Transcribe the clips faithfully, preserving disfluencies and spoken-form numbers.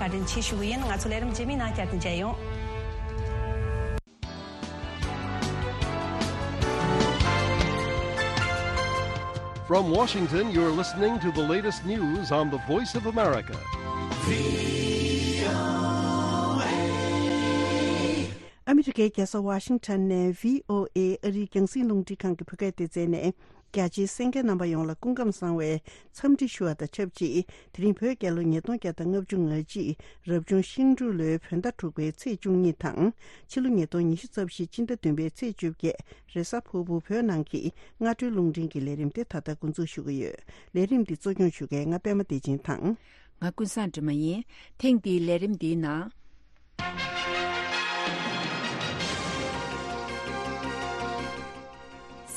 བཀའ་དྲིན་ཆེ་ཞུ་གི་ཡིན། ང་ཚོ་ལས་རིམ་རྗེས་མའི་ནང་བསྐྱར་དུ་མཇལ་ཡོང་། From Washington, you're listening to the latest news on the Voice of America. ཨ་མི་རི་ཀའི་རྒྱལ་ས་ཝ་ཤིང་ཊོན་ནས་བྷི་ཨོ་ཨེ་ཨ་རིའི་རྒྱང་སྲིང་རླུང་འཕྲིན་ཁང་གི་བོད་སྐད་སྡེ་ཚན་ནས། རྒྱ་ཆེའི་གསན་མཁན་རྣམ་པ་ཡོངས་ལ་སྐུ་ཁམས་བཟང་བའི་འཚམས་འདྲི་ཞུ་བ་དང་ཆབས་ཅིག་དེ་རིང་བོད་རྒྱལ་ལོ་ཉིས་སྟོང་བརྒྱ་དང་ལྔ་བཅུ་ང་གཅིག་རབ་བྱུང་ཤིང་འབྲུག་ལོའི་བོད་ཟླ་དྲུག་པའི་ཚེས་བཅུ་གཉིས་དང་། ཕྱི་ལོ་ཉིས་སྟོང་ཉི་ཤུ་རྩ་བཞི་སྤྱི་ཟླ་བདུན་པའི་ཚེས་བཅོ་བརྒྱད་རེས་གཟའ་ཕུར་བུ་བོད་ནང་གི་སྔ་དྲོའི་རླུང་འཕྲིན་གྱི་ལས་རིམ་དེ་ད་ལྟ་འགོ་འཛུགས་ཞུ་གི་ཡོད། ལས་རིམ་འདི་གཙོ་སྐྱོང་ཞུ་མཁན་ང་པད་མ་བདེ་ཆེན་དང་། ང་ཀུན་བཟང་སྒྲོལ་མ་ཡིན། ཐེངས་འདིའི་ལས་རིམ་འདིའི་ནང་།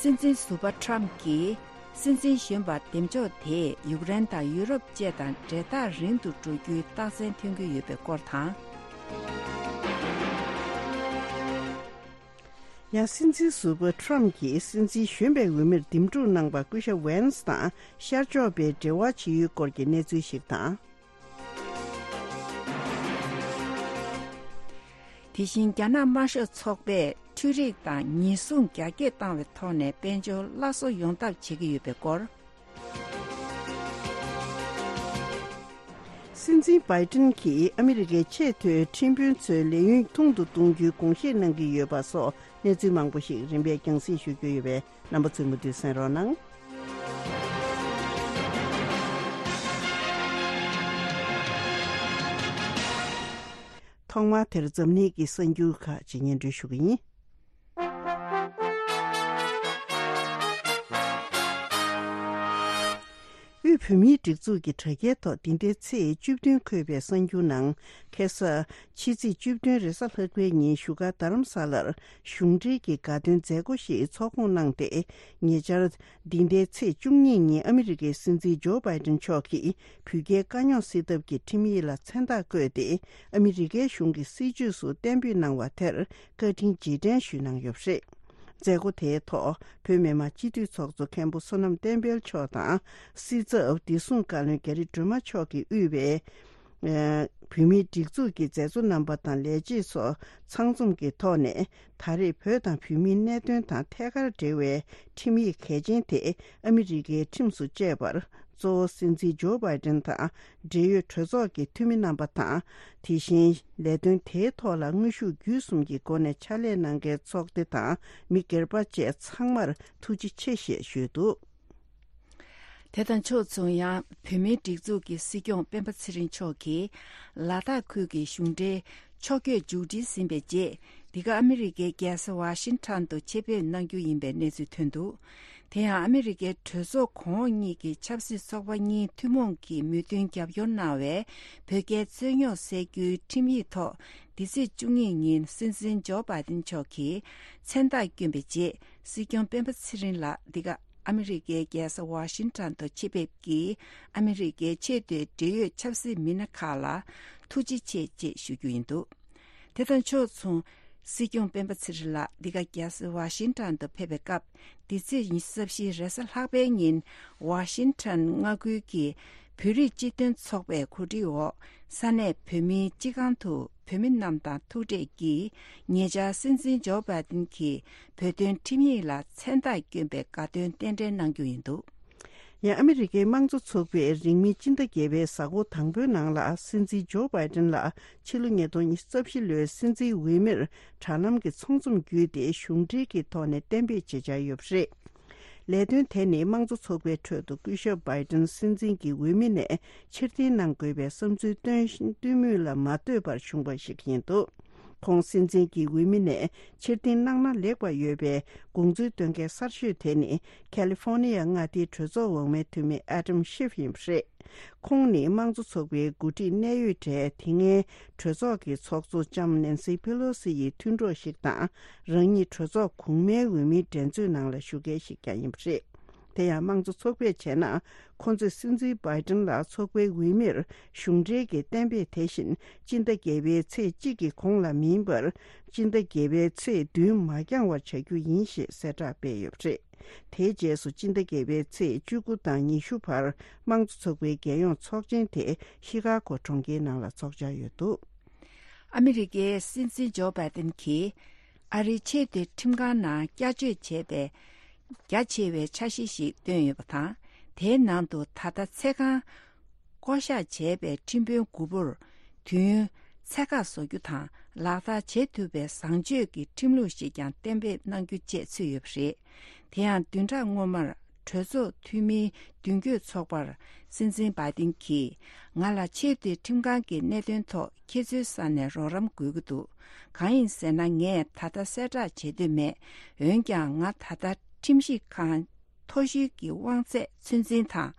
སྲིད་འཛིན་ཟུར་པ་ཊམ་གྱིས་སྲིད་འཛིན་གཞོན་པར་འདེམས་ཕྱོགས་དེས་ཡུཀ་རེན་དང་ཡུ་རོབ་བཅས་དང་འབྲེལ་ཐག་རིང་དུ་འགྲོ་རྒྱུའི་རྟགས་མཚན་ཐོན་གྱི་ཡོད་པའི་སྐོར་དང་། ཡང་སྲིད་འཛིན་ཟུར་པ་ཊམ་གྱིས་སྲིད་འཛིན་གཞོན་པའི་འོས་མིར་འདེམས་སྒྲུག་གནང་པར་སྐུ་ཞབས་ཝན་སི་དང་ཤར་ཕྱོགས་པའི་འབྲེལ་བ་ཇི་ཡོད་སྐོར་གྱི་གནས་ཚུལ་ཞིག་དང་། དེ་བཞིན་རྒྱ་ནག་དམར་ཤོག་ཚོགས་པས་འཕྲུལ་རིག་དང་ཉེན་སྲུང་རྒྱ་སྐྱེད་བཏང་བའི་ཐོག་ནས་དཔལ་འབྱོར་སླར་གསོ་ཡོང་ཐབས་བྱེད་ཀྱི་ཡོད་པའི་སྐོར། སྲིད་འཛིན་བྷའི་ཏིན་གྱིས་ཨ་མི་རི་ཀའི་ཆེས་མཐོའི་ཁྲིམས་དཔོན་ཚོའི་ལས་ཡུན་ཐུང་དུ་གཏོང་རྒྱུའི་དགོངས་བཞེས་གནང་གི་ཡོད་པ་སོགས་གནས་ཚུལ་མང་པོ་ཞིག་རིམ་པས་རྒྱང་སྲིང་ཞུ་རྒྱུ་ཡོད་པས། རྣམ་པ་ཚོས་མུ་མཐུད་གསན་རོགས་གནང་། ཐོག་མར་དེར་འཛམ་གླིང་གི་གསར་འགྱུར་ཁག་ཅིག་སྙན་སྒྲོན་ཞུ་གི་ཡིན། དབུས་བོད་མིའི་སྒྲིག་འཛུགས་ཀྱི་དྲ་རྒྱའི་ཐོག་འདི་ཟླའི་ཚེས་བཅུ་བདུན་འཁོད་པའི་གསར་འགྱུར་ནང་། ཁ་སང་ཕྱི་ཚེས་བཅུ་བདུན་རེས་གཟའ་ལྷག་པའི་ཉིན་བཞུགས་སྒར་རྡ་རམ་ས་ལར་གཞུང་འབྲེལ་གྱི་དགའ་སྟོན་མཛད་སྒོ་ཞིག་ཚོགས་སྐོང་གནང་སྟེ། ཉེ་ཆར་འདི་ཟླའི་ཚེས་བཅུ་གཉིས་ཉིན་ཨ་མི་རི་ཀའི་སྲིད་འཛིན་ཇོ་བྷའི་ཏིན་མཆོག་གིས་བོད་རྒྱའི་དཀའ་རྙོག་སེལ་ཐབས་ཀྱི་ཁྲིམས་ཡིག་ལ་མཚན་རྟགས་བཀོད་དེ། ཨ་མི་རི་ཀའི་གཞུང་གི་སྲིད་བྱུས་སུ་གཏན་འབེབས་གནང་བ་དེར་བཀའ་དྲིན་རྗེས་དྲན་ཞུས་གནང་ཡོད་པ་རེད། མཛད་སྒོ་དེའི་ཐོག་བོད་མི་མང་སྤྱི་འཐུས་ཚོགས་གཙོ་མཁན་པོ་བསོད་ནམས་བསྟན་འཕེལ་མཆོག་དང་། སྲིད་ཚབ་བདེ་སྲུང་བཀའ་བློན་རྒྱ་རི་སྒྲོལ་མ་མཆོག་གིས་དབུས་པའི་ཨ་བོད་མིའི་སྒྲིག་འཛུགས་ཀྱི་མཛད་གཙོ་རྣམ་པ་དང་ལས་བྱེད་ཚོ་ཚང་འཛོམས་ཀྱི་ཐོག་ནས། ད་རེས་བོད་དང་བོད་མིའི་གནད་དོན་དང་ཐད་ཀར་འབྲེལ་བའི་ཁྲིམས་ཡིག་གལ་ཆེན་དེ་ཨ་མི་རི་ཀའི་ཁྲིམས་སུ་བཅད་པར། གཙོ་བོ་སྲིད་འཛིན་ཇོ་བྷའི་ཏིན་དང་འབྲེལ་ཡོད་གྲོས་ཚོགས་ཀྱི་འཐུས་མི་རྣམ་པ་དང་། དེ་བཞིན་ལས་དོན་དེའི་ཐོག་ལ་དངོས་ཤུགས་བརྒྱུད་གསུམ་གྱི་སྒོ་ནས་ཕྱག་ལས་གནང་མཁན་ཚོགས་སྡེ་དང་མི་སྒེར་པ་བཅས་ཚང་མར་ཐུགས་རྗེ་ཆེ་ཞེས་ཞུས་འདུག། དེ་དང་ཕྱོགས་མཚུངས། ཡང་བོད་མིའི་སྒྲིག་འཛུགས་ཀྱི་སྲིད་སྐྱོང་སྤེན་པ་ཚེ་རིང་མཆོག་གིས་ལ་དྭགས་ཁུལ་གྱི་གཞུང་འབྲེལ་ཕྱོགས་བསྐྱོད་མཇུག་སྒྲིལ་ཟིན་པའི་རྗེས། འདི་ག་ཨ་མི་རི་ཀའི་རྒྱལ་ས་ཝ་ཤིང་ཊོན་དུ་ཆེད་ཕེབས་གནང་རྒྱུ་ཡིན་པའི་གནས་ཚུལ་ཐོན་འདུག། དེ་ཡང་ཨ་མི་རི་ཀའི་གྲོས་ཚོགས་གོང་འོག་གཉིས་ཀྱི་ཆབ་སྲིད་ཚོགས་པ་གཉིས་ཐུན་མོང་གིས་མོས་མཐུན་རྒྱབ་སྐྱོར་གནང་བའི་བོད་རྒྱའི་རྩོད་རྙོག་སེལ་རྒྱུའི་ཁྲིམས་ཡིག་ཐོག་འདི་ཚེས་བཅུ་གཉིས་ཉིན་སྲིད་འཛིན་ཇོ་བྷའི་ཏིན་མཆོག་གིས་མཚན་རྟགས་བསྐྱོན་པའི་རྗེས། སྲིད་སྐྱོང་སྤེན་པ་ཚེ་རིང་ལགས་འདི་ག་ཨ་མི་རི་ཀའི་རྒྱལ་ས་ཝ་ཤིང་ཊོན་དུ་ཆེད་ཕེབས་ཀྱིས་ཨ་མི་རི་ཀའི་ཆེས་མཐོའི་འབྲེལ་ཡོད་ཆབ་སྲིད་མི་སྣ་ཁག་ལ་ཐུགས་རྗེ་ཆེ་ཅེས་ཞུ་རྒྱུ་ཡིན་འདུག། དེ་དང་ཕྱོགས་མཚུངས། སྲིད་སྐྱོང་སྤེན་པ་ཚེ་རིང་ལགས་འདི་ག་རྒྱལ་ས་ཝ་ཤིང་ཊོན་དུ་ཕེབས་པའི་སྐབས། འདི་ཚེས་ཉི་ཤུ་རྩ་བཞི་རེས་གཟའ་ལྷག་པའི་ཉིན་ཝ་ཤིང་ཊོན་མངའ་ཁུལ་གྱི་བོད་རིགས་སྤྱི་མཐུན་ཚོགས་པའི་གོ་སྒྲིག་འོག་ས་གནས་བོད་མིའི་སྤྱི་ཁང་དུ་བོད་མི་རྣམས་དང་ཐུག་འཕྲད་ཀྱིས། ཉེ་ཆར་སྲིད་འཛིན་ཇོ་བྷའི་ཏིན་གྱིས་བོད་དོན་ཁྲིམས་ཡིག་ལ་མཚན་རྟགས་བསྐྱོན་པའི་དགའ་སྟོན་རྟེན་འབྲེལ་གནང་རྒྱུ་ཡིན་འདུག། ཡང་ཨ་མི་རི་ཀའི་དམངས་གཙོ་ཚོགས་པས་རིང་མིན་སྤྱི་ཟླ་བརྒྱད་པའི་གཟའ་འཁོར་དང་པོའི་ནང་ལ་སྲིད་འཛིན་ཇོ་བྷའི་ཏིན་ལ་ཕྱི་ལོ་ཉིས་སྟོང་ཉི་ཤུ་རྩ་བཞི་ལོའི་སྲིད་འཛིན་འོས་མིར་དྲ་ལམ་གྱི་ཚོགས་འཛོམས་བརྒྱུད་དེ་གཞུང་འབྲེལ་གྱི་ཐོག་ནས་གཏན་འབེབས་བྱེད་འཆར་ཡོད་པ་རེད། ལས་དོན་དེ་ནི་དམངས་གཙོ་ཚོགས་པའི་ཁྲོད་དུ་སྐུ་ཞབས་བྷའི་ཏིན་སྲིད་འཛིན་གྱི་འོས་མི་ནས་ཕྱིར་འཐེན་གནང་དགོས་པའི་བསམ་ཚུལ་བཏོན་བཏོན་མུས་ལ་མ་ལྟོས་པར་བྱུང་བ་ཞིག་ཡིན་འདུག། ཁོང་སྲིད་འཛིན་གྱི་འོས་མི་ནས་ཕྱིར་འཐེན་གནང་ན་ལེགས་པ་ཡོད་པའི་དགོངས་ཚུལ་བཏོན་མཁན་གསར་ཤོས་དེ་ནི་ཁ་ལི་ཧྥོ་ནི་ཡ་མངའ་སྡེའི་གྲོས་ཚོགས་འོག་མའི་འཐུས་མི་ཨ་ཏམ་ཤིབ་ཡིན་པ་རེད། ཁོང་ནི་དམངས་གཙོ་ཚོགས་པའི་འགོ་ཁྲིད་གནད་ཡོད་གྲས་དེ་སྔའི་གྲོས་ཚོགས་ཀྱི་ཚོགས་གཙོ་ལྕམ་ནེན་སི་པེ་ལོ་སི་ཡི་མཐུན་གྲོགས་ཤིག་དང་། རང་ཉིད་གྲོས་ཚོགས་གོང་མའི་འོས་མིའི་འགྲན་རྩོད་ནང་ལ་ཞུགས་མཁན་ཞིག་ཀྱང་ཡིན་པ་རེད། དེ་ཡང་དམངས་གཙོ་ཚོགས་པས་བྱས་ན། ཁོ་ཚོས་སྲིད་འཛིན་བྷའི་ཏིན་ལ་ཚོགས་པའི་འོས་མིར་གཞུང་འབྲེལ་གྱི་གཏན་འབེབས་དེ་བཞིན་སྤྱི་ཟླ་བརྒྱད་པའི་ཚེས་གཅིག་གི་གོང་ལ་མིན་པར། སྤྱི་ཟླ་བརྒྱད་པའི་ཚེས་བདུན་མ་འགྱངས་བར་བྱ་རྒྱུ་ཡིན་ཞེས་གསལ་བསྒྲགས་སྤེལ་ཡོད་པ་རེད། དེའི་རྗེས་སུ་སྤྱི་ཟླ་བརྒྱད་པའི་ཚེས་བཅུ་དགུ་དང་ཉི་ཤུ་བར་དམངས་གཙོ་ཚོགས་པའི་རྒྱལ་ཡོངས་ཚོགས་ཆེན་དེ་ཤི་ཀ་གོ་གྲོང་ཁྱེར་ནང་ལ་འཚོགས་འཆར་ཡོད་འདུག། ཨ་མི་རི་ཀའི་སྲིད་འཛིན་ཇོ་བྷའི་ཏན་གྱིས་ཨ་རིའི་ཆེས་མཐོའི་ཁྲིམས་ཁང་ནང་བསྐྱར་བཅོས་བྱས་པའི་རྒྱ་ཆེ་བའི་འཆར་གཞི་ཞིག་བཏོན་ཡོད་པ་དང་། དེའི་ནང་དུ་ད་ལྟ་ཚེ་གང་བསྐོ་གཞག་བྱས་པའི་ཁྲིམས་དཔོན་དགུ་པོར་དུས་ཡུན་ཚད་བཀག་བཟོ་རྒྱུ་དང་། ལག་བསྟར་བྱེད་ཐུབ་པའི་བཟང་སྤྱོད་ཀྱི་ཁྲིམས་ལུགས་ཤིག་ཀྱང་གཏན་འབེབས་གནང་རྒྱུ་བཅས་ཚུད་ཡོད་པ་རེད། དེ་ཡང་བདུན་ཕྲག་སྔོན་མར་གྲོས་ཚོགས་འཐུས་མིའི་མདུན་སྐྱོད་ཚོགས་པར་སྲིད་འཛིན་བྷའི་ཏིན་གྱིས། ང་ལ་ཆེས་མཐོའི་ཁྲིམས་ཁང་གི་གནད་དོན་ཐོག་ཁྱེད་ཚོའི་ས་ནས་རོགས་རམ་དགོས་ཀྱི་འདུག། གང་ཡིན་ཟེར་ན། ངས་ད་ལྟ་གསལ་བསྒྲགས་བྱེད་འདོད་མེད། འོན་ཀྱང་ང་ད་ལྟ་ཁྲིམས་ཞིབ་ཁང་མཐོ་ཤོས་ཀྱི་དབང་ཚད་ཚོད་འཛིན་དང་།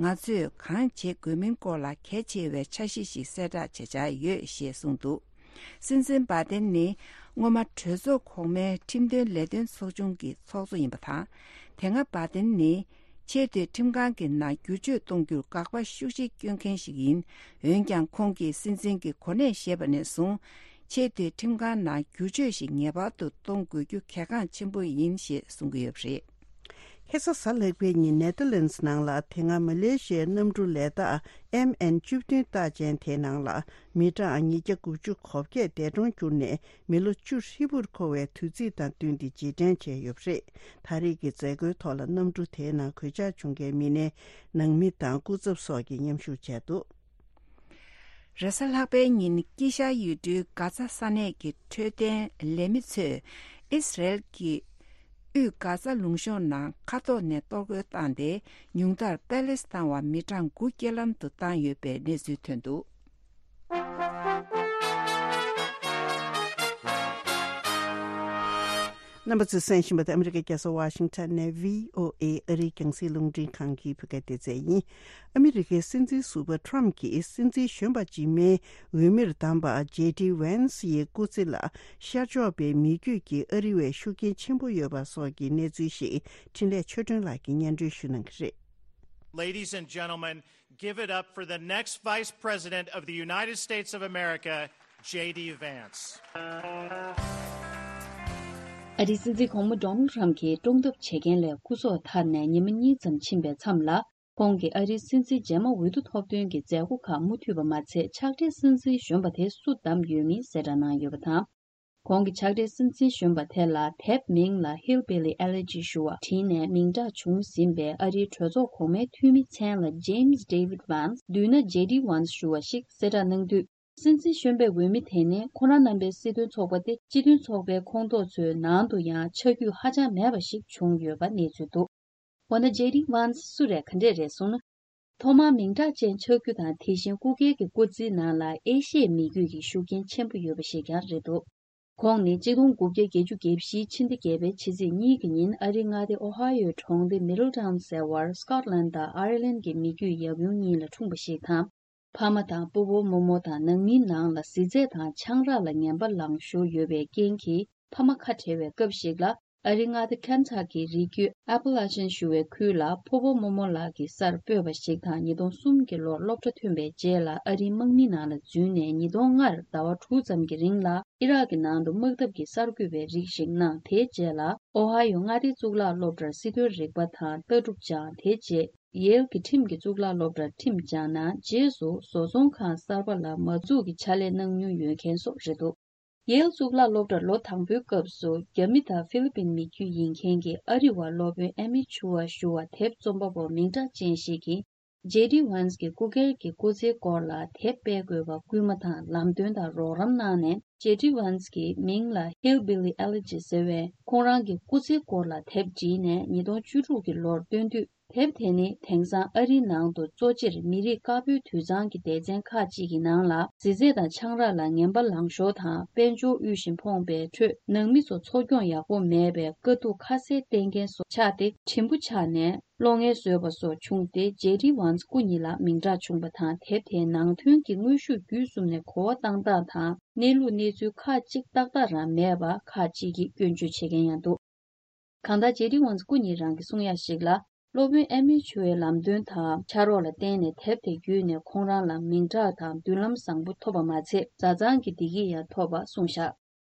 ང་ཚོས་གང་བྱེད་དགོས་མིན་སྐོར་ལ་གལ་ཆེ་བའི་འཆར་གཞི་ཞིག་གསལ་བསྒྲགས་བྱེད་འཆར་ཡོད་ཞེས་གསུངས་འདུག། སྲིད་འཛིན་བྷའི་ཏིན་ནི་སྔོན་མ་གྲོས་ཚོགས་གོང་མའི་ཁྲིམས་དོན་ལས་དོན་ཚོགས་ཆུང་གི་ཚོགས་གཙོ་ཡིན་པ་དང་། དེ་སྔ་བྷའི་ཏིན་ནི་ཆེས་མཐོའི་ཁྲིམས་ཁང་གི་ནང་བསྒྱུར་བཅོས་གཏོང་རྒྱུར་དགག་པ་ཤུགས་ཆེ་བསྐྱོན་མཁན་ཞིག་ཡིན། འོན་ཀྱང་ཁོང་གིས་སྲིད་འཛིན་གྱི་གོ་གནས་བཞེས་པ་ནས་བཟུང་། ཆེས་མཐོའི་ཁྲིམས་ཁང་ནང་བསྒྱུར་བཅོས་ཤིག་ངེས་པར་དུ་གཏོང་དགོས་རྒྱུ་གལ་འགངས་ཆེན་པོ་ཡིན་ཞེས་གསུང་གི་ཡོད་པ་རེད། ཁ་སང་གཟའ་ལྷག་པའི་ཉིན་ནེ་ཐར་ལན་སི་ནང་ལ་དེ་སྔ་མ་ལེ་ཤི་ཡའི་གནམ་གྲུ་ལས་ཐག་ཨེམ་ཨེན་བཅུ་བདུན་རྟགས་ཅན་དེའི་ནང་ལ་མི་གྲངས་ཉིས་བརྒྱ་དགུ་བཅུ་གོ་བརྒྱད་འདས་གྲོངས་གྱུར་ནས། མི་ལོ་བཅུ་ཧྲིལ་པོར་འཁོར་བའི་དུས་ཚིགས་དང་བསྟུན་ཏེ་རྗེས་དྲན་བྱས་ཡོད་པ་རེད། ད་རེས་ཀྱི་མཛད་སྒོའི་ཐོག་ལ་གནམ་གྲུ་དེའི་ནང་གོད་ཆག་བྱུང་མཁན་མི་སྣའི་ནང་མི་དང་སྐུ་ཚབ་སོགས་ཀྱིས་མཉམ་ཞུགས་བྱས་འདུག། རེས་གཟའ་ལྷག་པའི་ཉིན་དཀྱིལ་ཤར་ཡུལ་གྲུའི་གྷ་ཛ་ས་གནས་ཀྱི་འཕྲོད་བསྟེན་ལས་མི་ཚོས་ཨིས་རལ་གྱི་དབུས་གྷ་ཛ་ལུང་གཤོང་ནང་མཁའ་ཐོག་ནས་གཏོར་རྒོལ་བཏང་སྟེ། ཉུང་མཐར་པེ་ལེ་སི་ཐན་བ་མི་གྲངས་དགུ་རྐྱེན་ལམ་དུ་བཏང་ཡོད་པའི་གནས་ཚུལ་ཐོན་འདུག། རྣམ་པ་ཚོས་གསན་བཞིན་པ་དེ་ཨ་མི་རི་ཀའི་རྒྱལ་ས་ཝ་ཤིང་ཊོན་ནས་བྷི་ཨོ་ཨེ་ཨ་རིའི་རྒྱང་སྲིང་རླུང་འཕྲིན་ཁང་གི་བོད་སྐད་སྡེ་ཚན་ཡིན། ཨ་མི་རི་ཀའི་སྲིད་འཛིན་ཟུར་པ་ཊམ་གྱིས་སྲིད་འཛིན་གཞོན་པ་འཇིགས་མེད་འོས་མིར་བདམས་པ་ཇེ་ཌི་ཝན་སི་ཡི་སྐུ་ཚེ་ལ་ཤར་ཕྱོགས་པའི་མི་རྒྱུད་ཀྱི་ཨ་རི་བས་ཤུགས་རྐྱེན་ཆེན་པོ་ཡོད་པ་སོགས་ཀྱི་གནས་ཚུལ་ཞིག་འཕྲིན་ལས་ཆོས་སྒྲོན་ལགས་ཀྱིས་སྙན་སྒྲོན་ཞུ་གནང་གི་རེད། Ladies and gentlemen, give it up for the next Vice President of the United States of America, J D Vance. ཨ་རིའི་སྲིད་འཛིན་གོང་མ་ཌོ་ནལ་ཊམ་གྱིས་བཀྲོངས་ཐབས་བྱེད་མཁན་ལས་སྐུ་སྲོག་ཐར་ནས་ཉི་མ་གཉིས་ཙམ་ཕྱིན་པའི་མཚམས་ལ། ཁོང་གིས་ཨ་རིའི་སྲིད་འཛིན་རྗེས་མ་འོས་བསྡུ་ཐོབ་ཐོན་གྱི་མཛད་སྒོ་ཁག་མུ་མཐུད་པ་མ་ཚད། ཕྱག་སྦྲེལ་སྲིད་འཛིན་གཞོན་པ་དེ་སུ་བདམས་ཡོད་མིན་གསལ་བསྒྲགས་གནང་ཡོད་པ་དང་། ཁོང་གི་ཕྱག་སྦྲེལ་སྲིད་འཛིན་གཞོན་པ་དེ་ལ་དེབ་མིང་ལ་Hillbilly Elegy ཞུ་བ་བྲིས་ནས་མིང་གྲགས་བྱུང་ཟིན་པའི་ཨ་རིའི་གྲོས་ཚོགས་གོང་མའི་འཐུས་མི་མཚན་ལ་James David Vance། བསྡུས་ན་J D Vance ཞུ་བ་ཞིག་གསལ་བསྒྲགས་གནང་དུས། སྲིད་འཛིན་གཞོན་པའི་འོས་མི་དེ་ནི་ཁོ་རང་རྣམ་པའི་སྲིད་དོན་ཚོགས་པ་སྟེ། སྤྱི་མཐུན་ཚོགས་པའི་ཁོངས་གཏོགས་ཚོའི་ནང་དུ་ཡང་ཆ་རྒྱུས་ཧ་ཅང་མེད་པ་ཞིག་བྱུང་ཡོད་པ་གནས་ཚུལ་འདུག། འོ་ན་J D Vance སུ་རེད། ག་འདྲས་རེད་གསུངས་ན། ཐོག་མར་མིང་གྲགས་ཅན་ཆགས་རྒྱུ་དང་། དེ་བཞིན་སྐུ་སྒེར་གྱི་སྐུ་ཚེའི་ནང་ལ་ཨེ་ཤི་ཡའི་མི་རྒྱུད་ཀྱི་ཤུགས་རྐྱེན་ཆེན་པོ་ཡོད་པ་ཞིག་ཀྱང་རེད་འདུག། ཁོང་ནི་གཅིག་སྟོང་དགུ་བརྒྱ་བརྒྱད་ཅུ་གྱ་བཞི་ཕྱི་ཟླ་བརྒྱད་པའི་ཕྱི་ཚེས་གཉིས་ཀྱི་ཉིན་ཨ་རིའི་མངའ་སྡེ་ཨོ་ཧ་ཡོའི་གྲོང་སྡེ་མི་ཌལ་ཊའུན་ཟེར་བར་སྐོཊ་ལན་དང་ཨའེར་ལན་གྱི་མི་རྒྱུད་ཡབ་ཡུམ་གཉིས་ལ་འཁྲུངས་པ་ཞིག་དང་། ཕ་མ་དང་སྤོ་བོ་རྨོ་མོ་དང་ནང་མིའི་ནང་ལ་གཟི་རྫས་དང་ཆང་རག་ལ་ངན་པ་ལངས་ཤོར་ཡོད་པའི་རྐྱེན་གྱིས། ཕ་མ་ཁ་བྲལ་བའི་སྐབས་ཤིག་ལ། ཨ་རིའི་མངའ་སྡེ་ཁེན་ཐ་ཀིའི་རི་རྒྱུད་ཨ་པ་ལ་ཅན་ཞུ་བའི་ཁུལ་ལ་ཕོ་བོ་རྨོ་མོ་ལགས་ཀྱི་སར་སྤོས་པ་ཞིག་དང་། ཉིས་སྟོང་གསུམ་གྱི་ལོར་སློབ་གྲྭ་ཐོན་པའི་རྗེས་ལ་ཨ་རིའི་དམག་མིའི་ནང་ལ་འཛུལ་ནས། ཉིས་སྟོང་ལྔར་ཟླ་བ་དྲུག་ཙམ་གྱི་རིང་ལ་ཨི་རག་གི་ནང་དུ་དམག་འཐབ་ཀྱི་གསར་འགོད་པའི་རིགས་ཤིག་གནང་། དེའི་རྗེས་ལ་ཨོ་ཧ་ཡོ་མངའ་སྡེའི་གཙུག་ལག་སློབ་གྲྭར་སྲིད་དོན་རིག་པ་དང་ལྟ་གྲུབ་སྦྱངས། དེའི་རྗེས་ཡེལ་གྱི་ཁྲིམས་ཀྱི་གཙུག་ལག་སློབ་གྲྭར་ཁྲིམས་སྦྱངས་ནས། རྗེས་སུ་བཟོ་ཚོང་ཁང་གསར་པ་ལ་མ་འཛུགས་ཀྱི་ཕྱག་ལས་གནང་མྱོང་ཡོད་མཁན་སོགས་རེད་འདུག། ཡེལ་གཙུག་ལག་སློབ་གྲྭར་ལོ་དང་པོའི་སྐབས་སུ་རྒྱ་མི་དང་ཧྥི་ལི་པིན་མི་རྒྱུད་ཡིན་མཁན་གྱི་ཨ་རི་བ་སློབ་དཔོན་ཨེ་མི་ཆུ་ཝ་ཞུ་བ་དེབ་རྩོམ་པ་པོ་མིང་གྲགས་ཅན་ཞིག་གིས། ཇེ་ཌི་ཝན་སི་གི་སྐུ་སྒེར་གྱི་སྐུ་ཚེའི་སྐོར་ལ་དེབ་སྤེལ་དགོས་པར་སྐུལ་མ་དང་ལམ་སྟོན་དང་རོགས་རམ་གནང་ནས། ཇེ་ཌི་ཝན་སི་གི་མིང་ལ་Hillbilly Elegy ཟེར་བའི་ཁོང་རང་གི་སྐུ་ཚེའི་སྐོར་ལ་དེབ་བྲིས་ནས་ཉིས་སྟོང་བཅུ་དྲུག་གི་ལོར་བཏོན་དུས། དེབ་དེ་ནི་དེང་སང་ཨ་རིའི་ནང་དུ་གཙོ་ཆེར་མི་རིགས་དཀར་པོའི་དུད་ཚང་གི་སྡེ་ཚན་ཁག་ཅིག་གི་ནང་ལ། གཟི་རྫས་དང་ཆང་རག་ལ་ངན་པ་ལངས་ཤོར་དང་། དཔལ་འབྱོར་དབུལ་ཞིང་ཕོངས་པའི་ཁྲོད་ནང་མི་ཚོ་འཚོ་སྐྱོང་ཡག་པོ་མེད་པའི་དཀའ་སྡུག་ཁ་གསལ་བསྟན་མཁན་སོགས་ཆགས་ཏེ། གྲིམ་པོ་ཆགས་ནས་གློ་ངལ་བཟོས་པ་སོགས་བྱུང་སྟེ། ཇེ་ཌི་ཝན་སི་སྐུ་ཉིད་ལ་མིང་གྲགས་བྱུང་བ་དང་། དེབ་དེའི་ནང་དོན་གྱི་དངོས་ཤུགས་བརྒྱུད་གསུམ་ནས་གོ་བ་བཏང་སྟངས་དང་། གནས་ལུགས་གནས་ཚུལ་ཁག་ཅིག་ཏག་ཏག་རང་མེད་པ་ཁག་ཅིག་གིས་སྐྱོན་བརྗོད་བྱེད་མཁན་ཡང་འདུག། གང་ལྟར་ཇེ་ཌི་ཝན་སི་སྐུ་ཉིད་རང་གི་གསུང་ཡག་ཞིག་ལ། སློབ་དཔོན་ཨེ་མི་ཆུ་ཝའི་ལམ་སྟོན་དང་ཕྱག་རོགས་ལ་བརྟེན་ནས་དེབ་དེ་བརྒྱུད་ནས་ཁོང་རང་ལ་མིང་གྲགས་དང་མདུན་ལམ་བཟང་པོ་ཐོབ་པ་མ་ཚད། བཟའ་ཚང་གི་བདེ་སྐྱིད་ཡང་ཐོབ་པ་གསུངས་བཞག།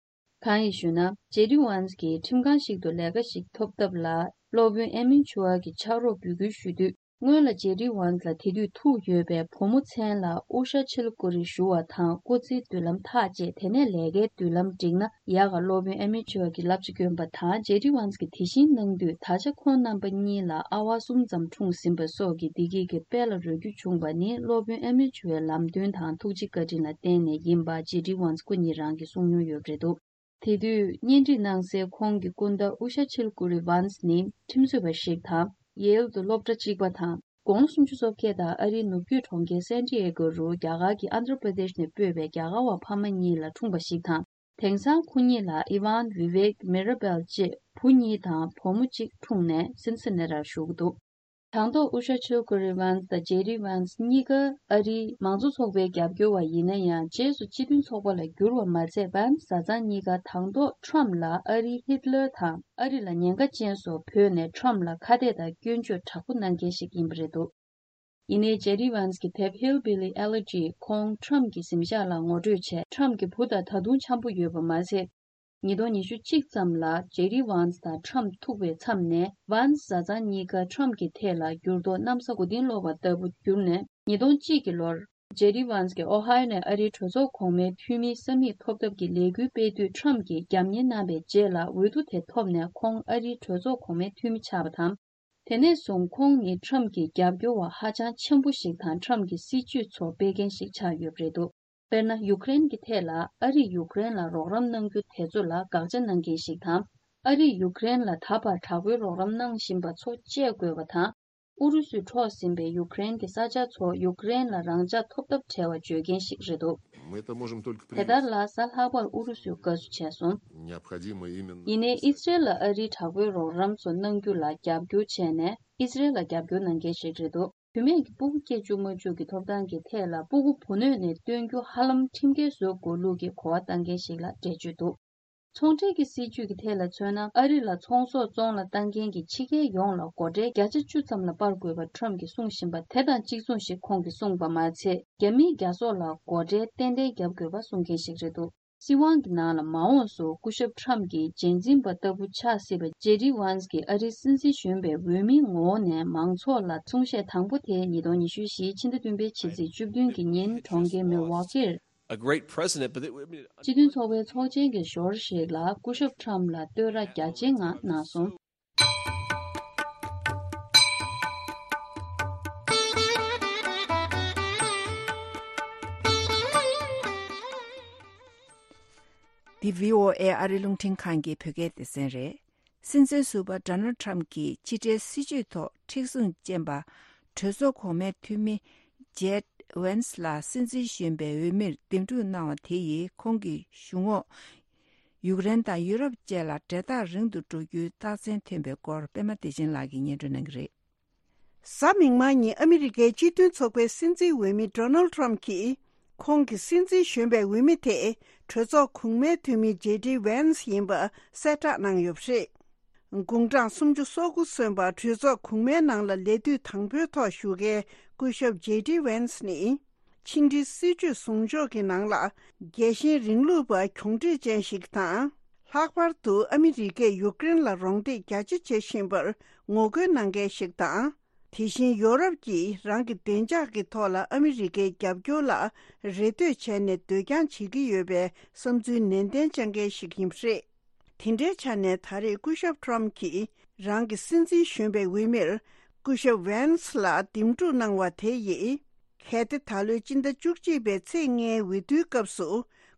གང་ཡིན་ཞུས་ན། ཇེ་ཌི་ཝན་སི་གིས་ཁྲིམས་ཁང་ཞིག་ཏུ་ལས་ཀ་ཞིག་ཐོབ་ཐབས་ལ་ སློབ་དཔོན་ཨེ་མིན་ཆུ་ཨར་གྱི་ཕྱག་རོགས་འབོད་སྐུལ་ཞུ་དུས། སྔོན་ལ་ཇེ་ཌི་ཝན་ལ་དེ་དུས་ཐུག་ཡོད་པའི་བུ་མོ་མཚན་ལ་ཨུ་ཤ་ཆིལ་ཀུ་རི་ཞུ་བ་དང་སྐུ་ཚེའི་མདུན་ལམ་ཐག་བཅད། དེ་ནས་ལས་ཀའི་མདུན་ལམ་འགྲིག་ན་ཡག་ག་སློབ་དཔོན་ཨེ་མི་ཆོ་གི་བསླབ་བྱ་བསྐྱོན་པ་དང་། ཇེ་ཌི་ཝན་གྱིས་དེ་བཞིན་གནང་དུས། ད་ཆ་ཁོང་རྣམ་པ་གཉིས་ལ་ཨ་བ་གསུམ་ཙམ་འཁྲུངས་ཟིན་པ་སོགས་ཀྱི་བདེ་སྐྱིད་ཀྱི་དཔལ་ལ་རོལ་རྒྱུ་བྱུང་བ་ནི་སློབ་དཔོན་ཨེ་མི་ཆོའི་ལམ་སྟོན་དང་ཐུགས་རྗེ་བཀའ་དྲིན་ལ་བརྟེན་ནས་ཡིན་པ་ཇེ་ཌི་ཝན་སྐུ་ཉིད་རང་གིས་གསུངས་མྱོང་ཡོད་པ་རེད་འདུག་དེ་དུས་གཉེན་སྒྲིག་གནང་སའི་ཁོང་གི་སྐུ་ཟླ་ཨུ་ཤ་ཆིལ་ཀུ་རི་ཝན་ནི་ཁྲིམས་རྩོད་པ་ཞིག་དང་། ཡེལ་དུ་སློབ་གྲྭ་གཅིག་པ་དང་། དགུང་ལོ་སུམ་ཅུ་སོ་བརྒྱད་དང་ཨ་རིའི་ནུབ་རྒྱུད་གྲོང་ཁྱེར་སན་ཏི་ཨེ་གོ་རུ་རྒྱ་གར་གྱི་ཨན་དྷྲ་པྲ་དེཤ་ནས་སྤོས་པའི་རྒྱ་གར་བ་ཕ་མ་གཉིས་ལ་འཁྲུངས་པ་ཞིག་དང་། དེང་སང་ཁོ་གཉིས་ལ་ཨི་ཝན། ཝི་ཝེག། མི་ར་བེལ་བཅས་བུ་གཉིས་དང་བུ་མོ་གཅིག་འཁྲུངས་ནས་སིན་སི་ནེ་རར་བཞུགས་འདུག་དང་ཐོག་ཨུ་ཤ་ཆིལ་ཀུ་རི་ཝན་དང་ཇེ་ཌི་ཝན་གཉིས་ཀ་ཨ་རིའི་མང་གཙོ་ཚོགས་པའི་རྒྱབ་སྐྱོར་བ་ཡིན་ན་ཡང་། རྗེས་སུ་སྤྱི་མཐུན་ཚོགས་པ་ལ་བསྒྱུར་བ་མ་ཚད། ཝན་བཟའ་ཚང་གཉིས་ཀ་དང་ཐོག་ཁྲམ་ལ་ཨ་རིའི་ཧིད་ལར་དང་ཨ་རི་ལ་ཉེན་ཁ་ཅན་སོགས་བོས་ནས་ཁྲམ་ལ་ཁ་གཏད་དང་སྐྱོན་བརྗོད་དྲག་པོ་གནང་མཁན་ཞིག་ཡིན་པ་རེད་འདུག་ཡིན་ནའི་ཇེ་ཌི་ཝན་གྱི་དེབ་ཧིལ་བི་ལི་ཨེ་ལེ་ཇི་ཁོང་ཁྲམ་གྱི་གཟིམ་ཤག་ལ་ངོ་སྤྲོད་བྱས། ཁྲམ་གྱི་བུ་དང་ད་དུང་འཆམ་པོ་ཡོད་པ་མ་ཟད། ཉིས་སྟོང་ཉི་ཤུ་གཅིག་ཙམ་ལ་ཇེ་ཌི་ཝན་དང་ཁྲམ་ཐུག་པའི་མཚམས་ནས། ཝན་བཟའ་ཚང་གཉིས་ཀ་ཁྲམ་གྱི་ཐད་ལ་འགྱུར་ལྡོག་གནམ་ས་མགོ་རྟིང་སློག་པ་ལྟ་བུ་གྱུར་ནས། ཉིས་སྟོང་གཅིག་གི་ལོར། ཇེ་ཌི་ཝན་གྱིས་ཨོ་ཧའི་ཡོ་ནས་ཨ་རིའི་གྲོས་ཚོགས་གོང་མའི་འཐུས་མིའི་ས་མིག་ཐོབ་ཐབས་ཀྱི་ལས་འགུལ་སྤེལ་དུས། ཁྲམ་གྱིས་རྒྱབ་གཉེར་གནང་བའི་རྗེས་ལ། འོས་བསྡུ་དེ་ཐོབ་ནས་ཁོང་ཨ་རིའི་གྲོས་ཚོགས་གོང་མའི་འཐུས་མི་ཆགས་པ་དང་། དེ་ནས་བཟུང་ཁོང་ནི་ཁྲམ་གྱི་རྒྱབ་སྐྱོར་བ་ཧ་ཅང་ཆེན་པོ་ཞིག་དང་། ཁྲམ་གྱི་སྲིད་བྱུས་ཚོ་སྤེལ་མཁན་ཞིག་ཆགས་ཡོད་པ་རེད་འདུག་དཔེར་ན། ཡུཀ་རེན་གྱི་ཐད་ལ་ཨ་རིས་ཡུཀ་རེན་ལ་རོགས་རམ་གནང་རྒྱུ་དེ་ཚོ་ལ་དགག་བྱ་གནང་མཁན་ཞིག་དང་། ཨ་རིས་ཡུཀ་རེན་ལ་ད་བར་དྲག་པོའི་རོགས་རམ་གནང་བཞིན་པ་ཚོ་བཅད་དགོས་པ་དང་། ཨུ་རུ་སུས་འཕྲོག་ཟིན་པའི་ཡུཀ་རེན་གྱི་ས་ཆ་ཚོ་ཡུཀ་རེན་ལ་རང་འཇགས་ཐོབ་ཐབས་བྲལ་བ་བརྗོད་མཁན་ཞིག་རེད་འདུག Мы это можем только དེ་ལྟར་приветствовать. ལ་གཟའ་ལྷག་པར་ཨུ་རུ་སུས་དགའ་བསུ་བྱས་སོང་། Необходимо именно ཡིན་ནའི་ཨི་སི་རེལ་ལ་ཨ་རིའི་དྲག་པོའི་རོགས་རམ་ཚོ་གནང་རྒྱུ་ལ་རྒྱབ་སྐྱོར་བྱས་ནས་ཨི་སི་རེལ་ལ་རྒྱབ་སྐྱོར་གནང་མཁན་ཞིག་རེད་འདུག་བུད་མེད་ཀྱི་སྤུ་གུ་སྐྱེ་བཅུག་མ་བཅུག་གི་ཐོབ་ཐང་གི་ཐད་ལ་སྤུ་གུ་བུ་སྣོད་ནས་བཏོན་རྒྱུ་ཧ་ལམ་ཁྲིམས་འགལ་བཟོ་དགོས་ལུགས་ཀྱི་གོ་བ་བཏང་མཁན་ཞིག་ལ་འགྲེལ་བརྗོད་འདུག་ཚོང་འབྲེལ་གྱི་སྲིད་ཇུས་ཀྱི་ཐད་ལ་མཚོན་ན། ཨ་རི་ལ་ཚོང་ཟོག་བཙོང་ལ་བཏང་མཁན་གྱི་ཕྱི་རྒྱལ་ཡོངས་ལ་སྒོ་ཁྲལ་བརྒྱ་ཆ་བཅུ་ཙམ་ལ་སྤར་དགོས་པ་ཁྲམ་གྱིས་གསུངས་བཞིན་པ་དེ་དང་གཅིག་མཚུངས་ཤིག་ཁོང་གིས་གསུངས་པ་མ་ཚད། རྒྱ་མིའི་རྒྱ་ཟོག་ལ་སྒོ་ཁྲལ་ཏན་ཏན་བརྒྱབ་དགོས་པ་གསུང་མཁན་ཞིག་རེད་འདུག་སྲིད་དབང་གི་ནང་ལ་མ་འོངས་སུ་སྐུ་ཞབས་ཁྲམ་གྱི་རྗེས་འཛིན་པ་ལྟ་བུ་ཆགས་སྲིད་པ་ཇེ་ཌི་ཝན་གྱིས་ཨ་རིའི་སྲིད་འཛིན་གཞོན་པའི་འོས་མིའི་ངོ་བོ་ནས་མང་ཚོགས་ལ་གསུང་བཤད་དང་པོ་དེ་ཉིས་སྟོང་ཉི་ཤུ་བཞི་ཕྱི་ཟླ་བདུན་པའི་ཕྱི་ཚེས་བཅུ་བདུན་གྱི་ཉིན་གྲོང་ཁྱེར་མིལ་ཝོ་ཀིར། A great president, but it, I mean, སྤྱི་མཐུན་ཚོགས་པའི་ཚོགས་ཆེན་གྱི་ཞོར་ཞིག་ལ་སྐུ་ཞབས་ཁྲམ་ལ་བསྟོད་ར་རྒྱ་ཆེའི་ངང་གནང་སོང་། འདི་བྷི་ཨོ་ཨེ་ཨ་རི་རླུང་འཕྲིན་ཁང་གི་བོད་སྐད་སྡེ་ཚན་རེད། སྲིད་འཛིན་ཟུར་པ་ཌོ་ནལ་ཁྲམ་གྱིས་ཕྱི་འབྲེལ་སྲིད་བྱུས་ཐོག་མཁྲེགས་བཟུང་ཅན་པ། གྲོས་ཚོགས་གོང་མའི་འཐུས་མི་ཇེ་ཌི་ཝན་སི་ལ་སྲིད་འཛིན་གཞོན་པའི་འོས་མིར་འདེམས་སྒྲུག་གནང་བ་དེ་ཡིས་ཁོང་གི་གཞུང་འོག་ཡུཀ་རེན་དང་ཡུ་རོབ་བཅས་ལ་འབྲེལ་ཐག་རིང་དུ་འགྲོ་རྒྱུའི་རྟགས་མཚན་ཐོན་པའི་སྐོར་པད་མ་བདེ་ཆེན་ལགས་ཀྱིས་སྙན་སྒྲོན་གནང་གི་རེད། གཟའ་མིག་དམར་ཉིན་ཨ་མི་རི་ཀའི་སྤྱི་མཐུན་ཚོགས་པའི་སྲིད་འཛིན་འོས་མི་ཌོ་ནལ་ཁྲམ་གྱིས། ཁོང་གི་སྲིད་འཛིན་གཞོན་པའི་འོས་མི་དེ་གྲོས་ཚོགས་གོང་མའི་འཐུས་མི་ཇེ་ཌི་ཝན་སི་ཡིན་པ་གསལ་བསྒྲགས་གནང་ཡོད་པ་རེད། དགུང་གྲངས་སུམ་ཅུ་སོ་དགུ་སོན་པ་གྲོས་ཚོགས་གོང་མའི་ནང་ལ་ལས་དུས་དང་པོའི་ཐོག་བཞུགས་མཁན་སྐུ་ཞབས་ཇེ་ཌི་ཝན་སི་ནི། ཕྱི་འབྲེལ་སྲིད་ཇུས་བཟུང་ཕྱོགས་ཀྱི་ནང་ལ་རྒྱལ་ཞེན་རིང་ལུགས་པ་གྱོང་འདྲིས་ཅན་ཞིག་དང་། ལྷག་པར་དུ་ཨ་མི་རི་ཀས་ཡུཀ་རེན་ལ་རོགས་འདེགས་རྒྱ་ཆེ་བྱེད་བཞིན་པར་ངོ་རྒོལ་གནང་མཁན་ཞིག་དང་། དེ་བཞིན་ཡོ་རོབ་ཀྱིས་རང་གི་བདེ་འཇགས་ཀྱི་ཐོག་ལ་ཨ་མི་རི་ཀའི་རྒྱབ་སྐྱོར་ལ་རེ་ལྟོས་བྱས་ནས་སྡོད་རྐྱང་བྱེད་ཀྱི་ཡོད་པའི་བསམ་ཚུལ་ནན་ཏན་བཅངས་མཁན་ཞིག་ཡིན་པ་རེད། དེ་འདྲའི་ཆ་ནས་ད་རེས་སྐུ་ཞབས་ཁྲོམ་གྱིས་རང་གི་སྲིད་འཛིན་གཞོན་པའི་འོས་མིར་སྐུ་ཞབས་ཝན་སི་ལ་འདེམས་སྒྲུག་གནང་བ་དེ་ཡིས། གལ་ཏེ་ད་ལོའི་སྤྱི་ཟླ་བཅུ་གཅིག་པའི་ཚེས་ལྔའི་འོས་བསྡུའི་སྐབས་སུ་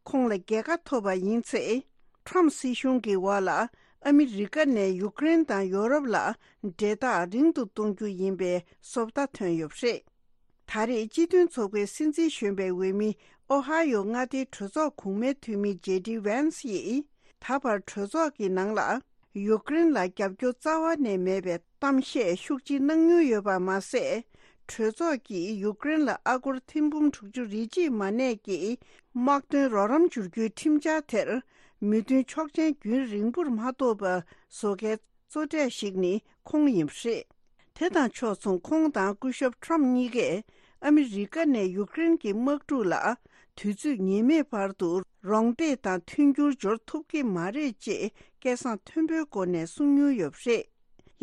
ཁོང་ལ་རྒྱལ་ཁ་ཐོབ་པ་ཡིན་ཚེ། ཁྲོམ་སྲིད་གཞུང་གི་འོག་ལ་ཨ་མི་རི་ཀ་ནས་ཡུཀ་རེན་དང་ཡོ་རོབ་ལ་འབྲེལ་ཐག་རིང་དུ་གཏོང་རྒྱུ་ཡིན་པའི་བཟོ་ལྟ་ཐོན་ཡོད་པ་རེད། ད་རེས་སྤྱི་མཐུན་ཚོགས་པའི་སྲིད་འཛིན་གཞོན་པའི་འོས་མི་ཨོ་ཧ་ཡོ་མངའ་སྡེའི་གྲོས་ཚོགས་གོང་མའི་འཐུས་མི་ཇེ་ཌི་ཝན་སི་ཡིས་ད་བར་གྲོས་ཚོགས་ཀྱི་ནང་ལ་ཡུཀ་རེན་ལ་རྒྱབ་སྐྱོར་རྩ་བ་ནས་མེད་པའི་གཏམ་བཤད་ཤུགས་ཆེ་གནང་མྱོང་ཡོད་པ་མ་ཟད། གྲོས་ཚོགས་ཀྱིས་ཡུཀ་རེན་ལ་ཨ་སྒོར་ཐེར་འབུམ་དྲུག་ཅུ་རེ་གཅིག་མ་གནས་ཀྱི་དམག་དོན་རོགས་རམ་བསྒྱུར་རྒྱུའི་ཁྲིམས་འཆར་དེར་མོས་མཐུན་ཆོག་མཆན་རྒྱུན་རིང་པོར་མ་ཐོབ་པ་བཟོ་མཁན་གཙོ་གྲས་ཤིག་ནི་ཁོང་ཡིན་པ་རེད། དེ་དང་ཕྱོགས་མཚུངས་ཁོང་དང་སྐུ་ཞབས་ཁྲོམ་གཉིས་ཀས་ཨ་མི་རི་ཀ་ནས་ཡུཀ་རེན་གྱི་དམག་འཁྲུག་ལ་དུས་ཚོད་ངེས་མེད་བར་དུ་རོགས་འདེགས་དང་མཐུན་འགྱུར་འབྱོར་ཐུབ་ཀྱི་མ་རེད་ཅེས་སྐད་གསང་མཐོན་པོའི་སྒོ་ནས་གསུང་མྱོང་ཡོད་པ་རེད།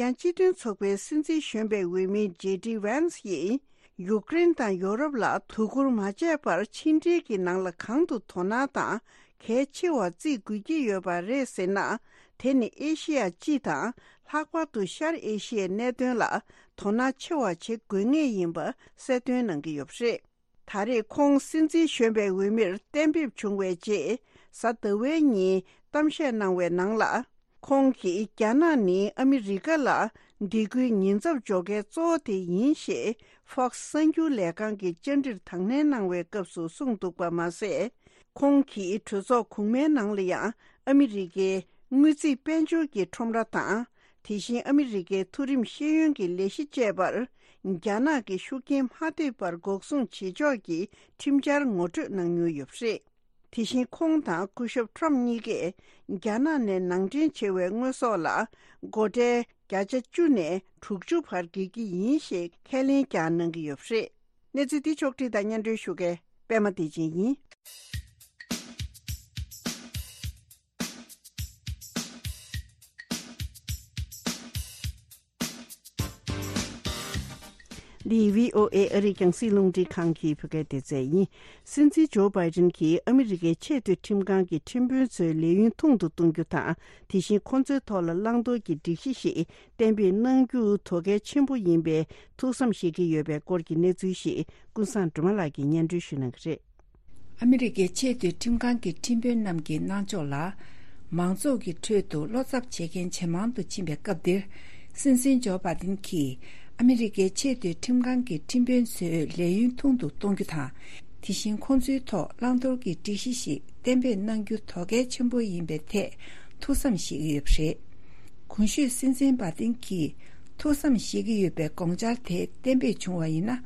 ཡང་སྤྱི་མཐུན་ཚོགས་པའི་སྲིད་འཛིན་གཞོན་པའི་འོས་མི་ཇེ་ཌི་ཝན་སི་ཡིས། ཡུཀ་རེན་དང་ཡོ་རོབ་ལ་དོ་ཁུར་མ་བྱས་པར་ཕྱི་འབྲེལ་གྱི་ནང་ལ་གང་དུ་དོ་སྣང་དང་གལ་ཆེ་བ་བརྩི་དགོས་ཀྱི་ཡོད་པ་རེད་ཟེར་ན། དེ་ནི་ཨེ་ཤེ་ཡ་སྤྱི་དང་ལྷག་པར་དུ་ཤར་ཨེ་ཤེ་ཡའི་གནད་དོན་ལ་དོ་སྣང་ཆེ་བ་བྱེད་དགོས་ངེས་ཡིན་པ་གསལ་སྟོན་གནང་གི་ཡོད་པ་རེད། ད་རེས་ཁོང་སྲིད་འཛིན་གཞོན་པའི་འོས་མིར་གཏན་འབེབས་བྱུང་བའི་རྗེས། གཟའ་ཟླ་བའི་ཉིན་གཏམ་བཤད་གནང་བའི་ནང་ལ། ཁོང་གིས་རྒྱ་ནག་ནི་ཨ་མི་རི་ཀ་ལ་སྡིགས་སྐུལ་ཉེན་ཚབས་འཇོག་མཁན་གཙོ་བོ་དེ་ཡིན་ཞེས་Fox་གསར་འགྱུར་ལས་ཁང་གི་བཅར་འདྲིར་དང་ལེན་གནང་བའི་སྐབས་སུ་གསུངས་འདུག་པ་མ་ཟད། ཁོང་གིས་གྲོས་ཚོགས་གོང་མའི་ནང་ལ་ཡང་ཨ་མི་རི་ཀའི་དངུལ་རྩིས་དཔལ་འབྱོར་གྱི་ཁྲོམ་ར་དང་། དེ་བཞིན་ཨ་མི་རི་ཀའི་མཐོ་རིམ་ཤེས་ཡོན་གྱི་ལས་གཞི་བཅས་པར་རྒྱ་ནག་གི་ཤུགས་རྐྱེན་མ་ཐེབས་པར་འགོག་སྲུང་བྱེད་ཕྱོགས་ཀྱི་ཁྲིམས་འཆར་ངོ་སྤྲོད་གནང་མྱོང་ཡོད་པ་རེད། དེ་བཞིན་ཁོང་དང་སྐུ་ཞབས་ཁྲོམ་གཉིས་ཀས་རྒྱ་ནག་ནས་ནང་འདྲེན་བྱས་པའི་དངོས་ཟོག་ལ་སྒོ་ཁྲལ་བརྒྱ་ཆ་བཅུ་ནས་དྲུག་ཅུ་བར་འགེལ་གྱི་ཡིན་ཞེས་ཁས་ལེན་ཀྱང་གནང་གི་ཡོད་པ་རེད། གནས་ཚུལ་འདི་ཕྱོགས་བསྒྲིགས་དང་སྙན་སྒྲོན་ཞུ་མཁན་པད་མ་བདེ་ཆེན་ཡིན། འདི་བྷི་ཨོ་ཨེ་ཨ་རིའི་རྒྱང་སྲིང་རླུང་འཕྲིན་ཁང་གི་བོད་སྐད་སྡེ་ཚན་ཡིན། སྲིད་འཛིན་ཇོ་བྷའི་ཏིན་གྱིས་ཨ་མི་རི་ཀའི་ཆེས་མཐོའི་ཁྲིམས་ཁང་གི་ཁྲིམས་དཔོན་ཚོའི་ལས་ཡུན་ཐུང་དུ་གཏོང་རྒྱུ་དང་། དེ་བཞིན་ཁོང་ཚོའི་ཐོག་ལ་བླང་དོར་གྱི་སྒྲིག་གཞི་ཞིག་གཏན་འབེབས་གནང་རྒྱུ་དོ་གལ་ཆེན་པོ་ཡིན་པའི་ཐུགས་བསམ་བཞེས་ཀྱི་ཡོད་པའི་སྐོར་གྱི་གནས་ཚུལ་ཞིག་ཀུན་བཟང་སྒྲོལ་མ་ལགས་ཀྱིས་སྙན་སྒྲོན་ཞུ་གནང་གི་རེད། ཨ་མི་རི་ཀའི་ཆེས་མཐོའི་ཁྲིམས་ཁང་གི་ཁྲིམས་དཔོན་རྣམས་ཀྱི་གནང་ཕྱོགས་ལ། མང་ཚོགས་ཀྱི་ཁྲོད་དུ་བློ་འཚབ་བྱེད་མཁན་ཇེ་མང་དུ་ཕྱིན་པའི་སྐབས་འདིར། སྲིད་འཛིན་ཇོ་བྷ་དིན་གྱིས་ཨ་མི་རི་ཀའི་ཆེས་མཐོའི་ཁྲིམས་ཁང་གི་ཁྲིམས་དཔོན་ཚོའི་ལས་ཡུན་ཐུང་དུ་གཏོང་རྒྱུ་དང་། དེ་བཞིན་ཁོང་ཚོའི་ཐོག་བླང་དོར་གྱི་སྒྲིག་གཞི་ཞིག་གཏན་འབེབས་གནང་རྒྱུ་དོ་གལ་ཆེན་པོ་ཡིན་པའི་ཐད་ཐུགས་བསམ་བཞེས་ཀྱི་ཡོད་པ་རེད། གོང་ཞུས་སྲིད་འཛིན་བྷ་དིན་གྱིས་ཐུགས་བསམ་བཞེས་ཀྱི་ཡོད་པའི་དགོངས་འཆར་དེ་གཏན་འབེབས་བྱུང་བ་ཡིན་ན།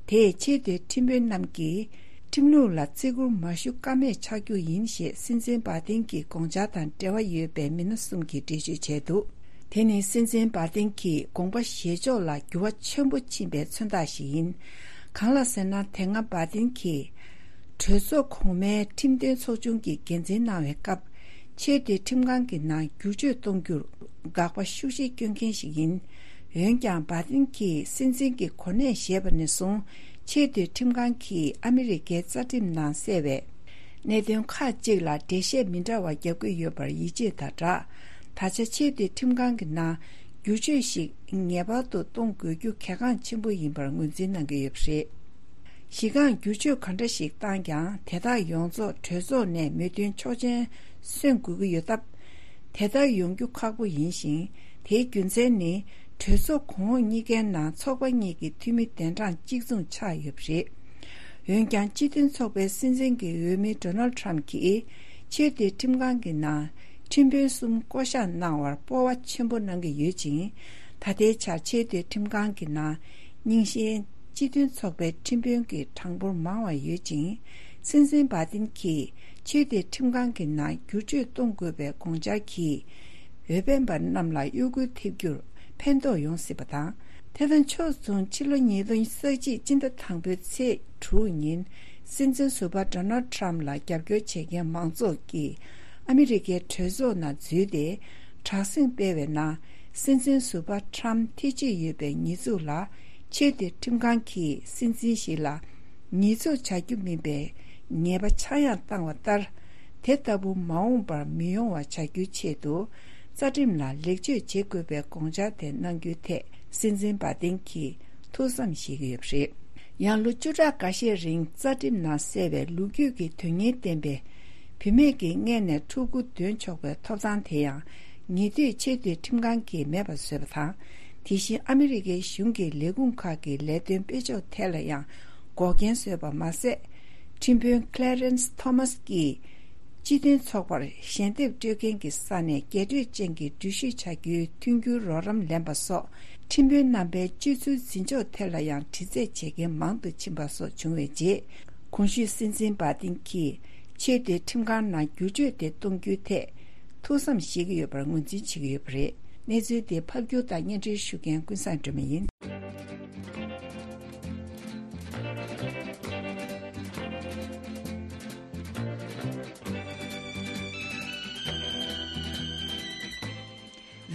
དེས་ཆེས་མཐོའི་ཁྲིམས་དཔོན་རྣམས་ཀྱིས་ཁྲིམས་ལུགས་ལ་བརྩི་བཀུར་མ་ཞུ་ཀ་མེད་ཆགས་རྒྱུ་ཡིན་ཞེས་སྲིད་འཛིན་བྷ་དིན་གྱི་དགོངས་འཆར་དང་འབྲེལ་བ་ཡོད་པའི་མི་སྣ་གསུམ་གྱིས་འགྲེལ་བརྗོད་བྱས་འདུག་དེ་ནི་སྲིད་འཛིན་བྷ་དིན་གྱི་དགོངས་པ་བཞེས་ཕྱོགས་ལ་འགྱུར་བ་ཆེན་པོ་ཕྱིན་པའི་མཚོན་རྟགས་ཤིག་ཡིན། གང་ལགས་ཟེར་ན། དེ་སྔ་བྷ་དིན་གྱིས་གྲོས་ཚོགས་གོང་མའི་ཁྲིམས་དོན་ཚོགས་ཆུང་གི་འགན་འཛིན་གནང་བའི་སྐབས། ཆེས་མཐོའི་ཁྲིམས་ཁང་གི་ནང་བསྒྱུར་བཅོས་གཏོང་རྒྱུར་དགག་པ་ཤུགས་ཆེ་བསྐྱོན་མཁན་ཞིག་ཡིན། འོན་ཀྱང་། བྷ་དིན་གྱིས་སྲིད་འཛིན་གྱི་གོ་གནས་བཞེས་པ་ནས་བཟུང་། ཆེས་མཐོའི་ཁྲིམས་ཁང་གིས་ཨ་མི་རི་ཀའི་རྩ་ཁྲིམས་ནང་གསལ་བའི་གནད་དོན་ཁག་ཅིག་ལ་འགྲེལ་བཤད་མི་འདྲ་བ་བརྒྱབ་ཀྱི་ཡོད་པར་ཡིད་ཆེས་དང་སྦྲགས། ད་ཆ་ཆེས་མཐོའི་ཁྲིམས་ཁང་གི་ནང་བསྒྱུར་བཅོས་ཤིག་ངེས་པར་དུ་གཏོང་དགོས་རྒྱུ་གལ་འགངས་ཆེན་པོ་ཡིན་པར་ངོས་འཛིན་གནང་གི་ཡོད་པ་རེད། གཞི་རྐང་བསྒྱུར་བཅོས་ག་འདྲ་ཞིག་བཏང་ཀྱང་། དེ་དག་ཡོངས་རྫོགས་གྲོས་ཚོགས་ནས་མོས་མཐུན་ཆོག་མཆན་སོན་དགོས་ཀྱི་ཡོད་སྟབས། དེ་ལྟར་ཡོང་རྒྱུ་ཁག་པོ་ཡིན་ཞིང་། དེའི་རྒྱུ་མཚན་ནི། གྲོས་ཚོགས་གོང་འོག་གཉིས་ཀའི་ནང་ཚོགས་པ་གཉིས་ཀྱི་འཐུས་མི་གདན་གྲངས་གཅིག་མཚུངས་ཆགས་ཡོད་པ་རེད། འོན་ཀྱང་། སྤྱི་མཐུན་ཚོགས་པའི་སྲིད་འཛིན་གྱི་འོས་མི་ཌོ་ནལ་ཌི་ཊརམ་ཕ་གྱིས་ཆེས་མཐོའི་ཁྲིམས་ཁང་གི་ནང་ཁྲིམས་དཔོན་གསུམ་བསྐོ་གཞག་གནང་བར་སྤོབས་པ་ཆེན་པོ་གནང་གི་ཡོད་ཅིང་། ད་ལྟའི་ཆར་ཆེས་མཐོའི་ཁྲིམས་ཁང་གི་ནང་རྙིང་ཞེན་སྤྱི་མཐུན་ཚོགས་པའི་ཁྲིམས་དཔོན་གྱི་གྲངས་འབོར་མང་བ་ཡོད་ཅིང་། སྲིད་འཛིན་བྷ་དིན་གྱིས་ཆེས་མཐོའི་ཁྲིམས་ཁང་གི་ནང་བསྒྱུར་བཅོས་གཏོང་དགོས་པའི་དགོངས་འཆར་གྱིས། འོས་འཕེན་པ་རྣམས་ལ་གཡོ་འགུལ་ཐེབས་རྒྱུར་ཕན་ཐོགས་ཡོང་སྲིད་པ་དང་། དེ་དང་ཕྱོགས་མཚུངས། ཕྱི་ལོ་ཉིས་སྟོང་ཉེར་གཅིག་སྤྱི་ཟླ་དང་པོའི་ཚེས་དྲུག་ཉིན། སྲིད་འཛིན་ཟུར་པ་ཌོ་ནལ་ཌི་ཊརམ་ཕ་ལ་རྒྱབ་སྐྱོར་བྱེད་མཁན་མང་ཚོགས་ཀྱིས་ཨ་མི་རི་ཀའི་གྲོས་ཚོགས་ནང་འཛུལ་ཏེ། དྲག་ཟིང་སྤེལ་བའི་ནང་། སྲིད་འཛིན་ཟུར་པ་ཊརམ་ཕ་ཐེ་བྱུས་ཡོད་པའི་ཉེས་འཛུགས་ལ། ཆེས་མཐོའི་ཁྲིམས་ཁང་གིས་སྲིད་འཛིན་ཞིག་ལ་ཉེས་འཛུགས་བྱ་རྒྱུ་མིན་པའི་ཉེས་པ་ཆག་ཡང་བཏང་བ་ལྟར། དེ་ལྟ་བུ་མ་འོངས་པར་མི་ཡོང་བ་བྱ་རྒྱུའི་ཆེད་དུ། རྩ་ཁྲིམས་ལ་ལེགས་བཅོས་བྱེད་དགོས་པའི་དགོངས་འཆར་དེ་གནང་རྒྱུའི་ཐད། སྲིད་འཛིན་བྷ་དིན་གྱིས་ཐུགས་བསམ་བཞེས་ཀྱི་ཡོད་པ་རེད། ཡང་། ལོ་བཅུ་ཕྲག་འགའ་ཤས་རིང་། རྩ་ཁྲིམས་ནང་གསལ་བའི་ལོ་རྒྱུས་ཀྱི་དོན་སྙིང་ལྡན་པའི་བུད་མེད་ཀྱི་མངལ་ནས་ཕྲུ་གུ་འདོན་ཆོག་པའི་ཐོབ་ཐང་དེ་ཡང་། ཉེ་དུས་ཆེས་མཐོའི་ཁྲིམས་ཁང་གིས་མེད་པར་བཟོས་པ་དང་། དེ་བཞིན། ཨ་མི་རི་ཀའི་གཞུང་གི་ལས་ཁུངས་ཁག་གི་ལས་དོན་སྤེལ་ཕྱོགས་ཐད་ལ་ཡང་འགོག་རྐྱེན་བཟོས་པ་མ་ཟད། ཁྲིམས་དཔོན་ཀླེ་རེན་སི་ཐོ་མཱ་སི་ཀྱིས། སྤྱི་མཐུན་ཚོགས་པར་ཞལ་འདེབས་སྤྲོད་མཁན་གྱི་ས་ནས་རྒྱས་སྤྲོས་ཅན་གྱི་འགྲུལ་བཞུད་བྱ་རྒྱུའི་མཐུན་འགྱུར་རོགས་རམ་ལེན་པ་སོགས། ཁྲིམས་དཔོན་རྣམ་པའི་སྤྱོད་ཚུལ་འཛིན་ཕྱོགས་ཐད་ལ་ཡང་དྲི་རྩད་བྱེད་མཁན་མང་དུ་ཕྱིན་པ་སོགས་བྱུང་བའི་རྗེས། གོང་ཞུས་སྲིད་འཛིན་བྷ་དིན་གྱིས་ཆེས་མཐོའི་ཁྲིམས་ཁང་ནང་བསྒྱུར་བཅོས་དེ་གཏོང་རྒྱུའི་ཐད་ཐུགས་བསམ་བཞེས་ཀྱི་ཡོད་པར་ངོས་འཛིན་བྱེད་ཀྱི་ཡོད་པ་རེད། གནས་ཚུལ་དེ་ཕབ་སྒྱུར་དང་སྙན་སྒྲོན་ཞུ་མཁན་ཀུན་བཟང་སྒྲོལ་མ་ཡིན།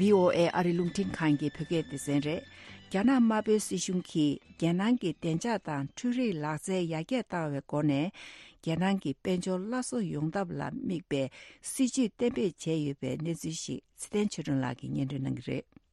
བྷི་ཨོ་ཨེ་ཨ་རི་རླུང་འཕྲིན་ཁང་གི་བོད་སྐད་སྡེ་ཚན་རེད། རྒྱ་ནག་དམར་པོའི་སྲིད་གཞུང་གིས་རྒྱལ་ནང་གི་བདེ་འཇགས་དང་འཕྲུལ་རིག་ལག་རྩལ་ཡར་རྒྱས་བཏང་བའི་སྒོ་ནས། རྒྱལ་ནང་གི་དཔལ་འབྱོར་སླར་གསོ་ཡོང་ཐབས་ལ་དམིགས་པའི་སྲིད་ཇུས་གཏན་འབེབས་བྱས་ཡོད་པའི་གནས་ཚུལ་ཞིག་ཚེ་བརྟན་ཆོས་སྒྲོན་ལགས་ཀྱིས་སྙན་སྒྲོན་གནང་གི་རེད།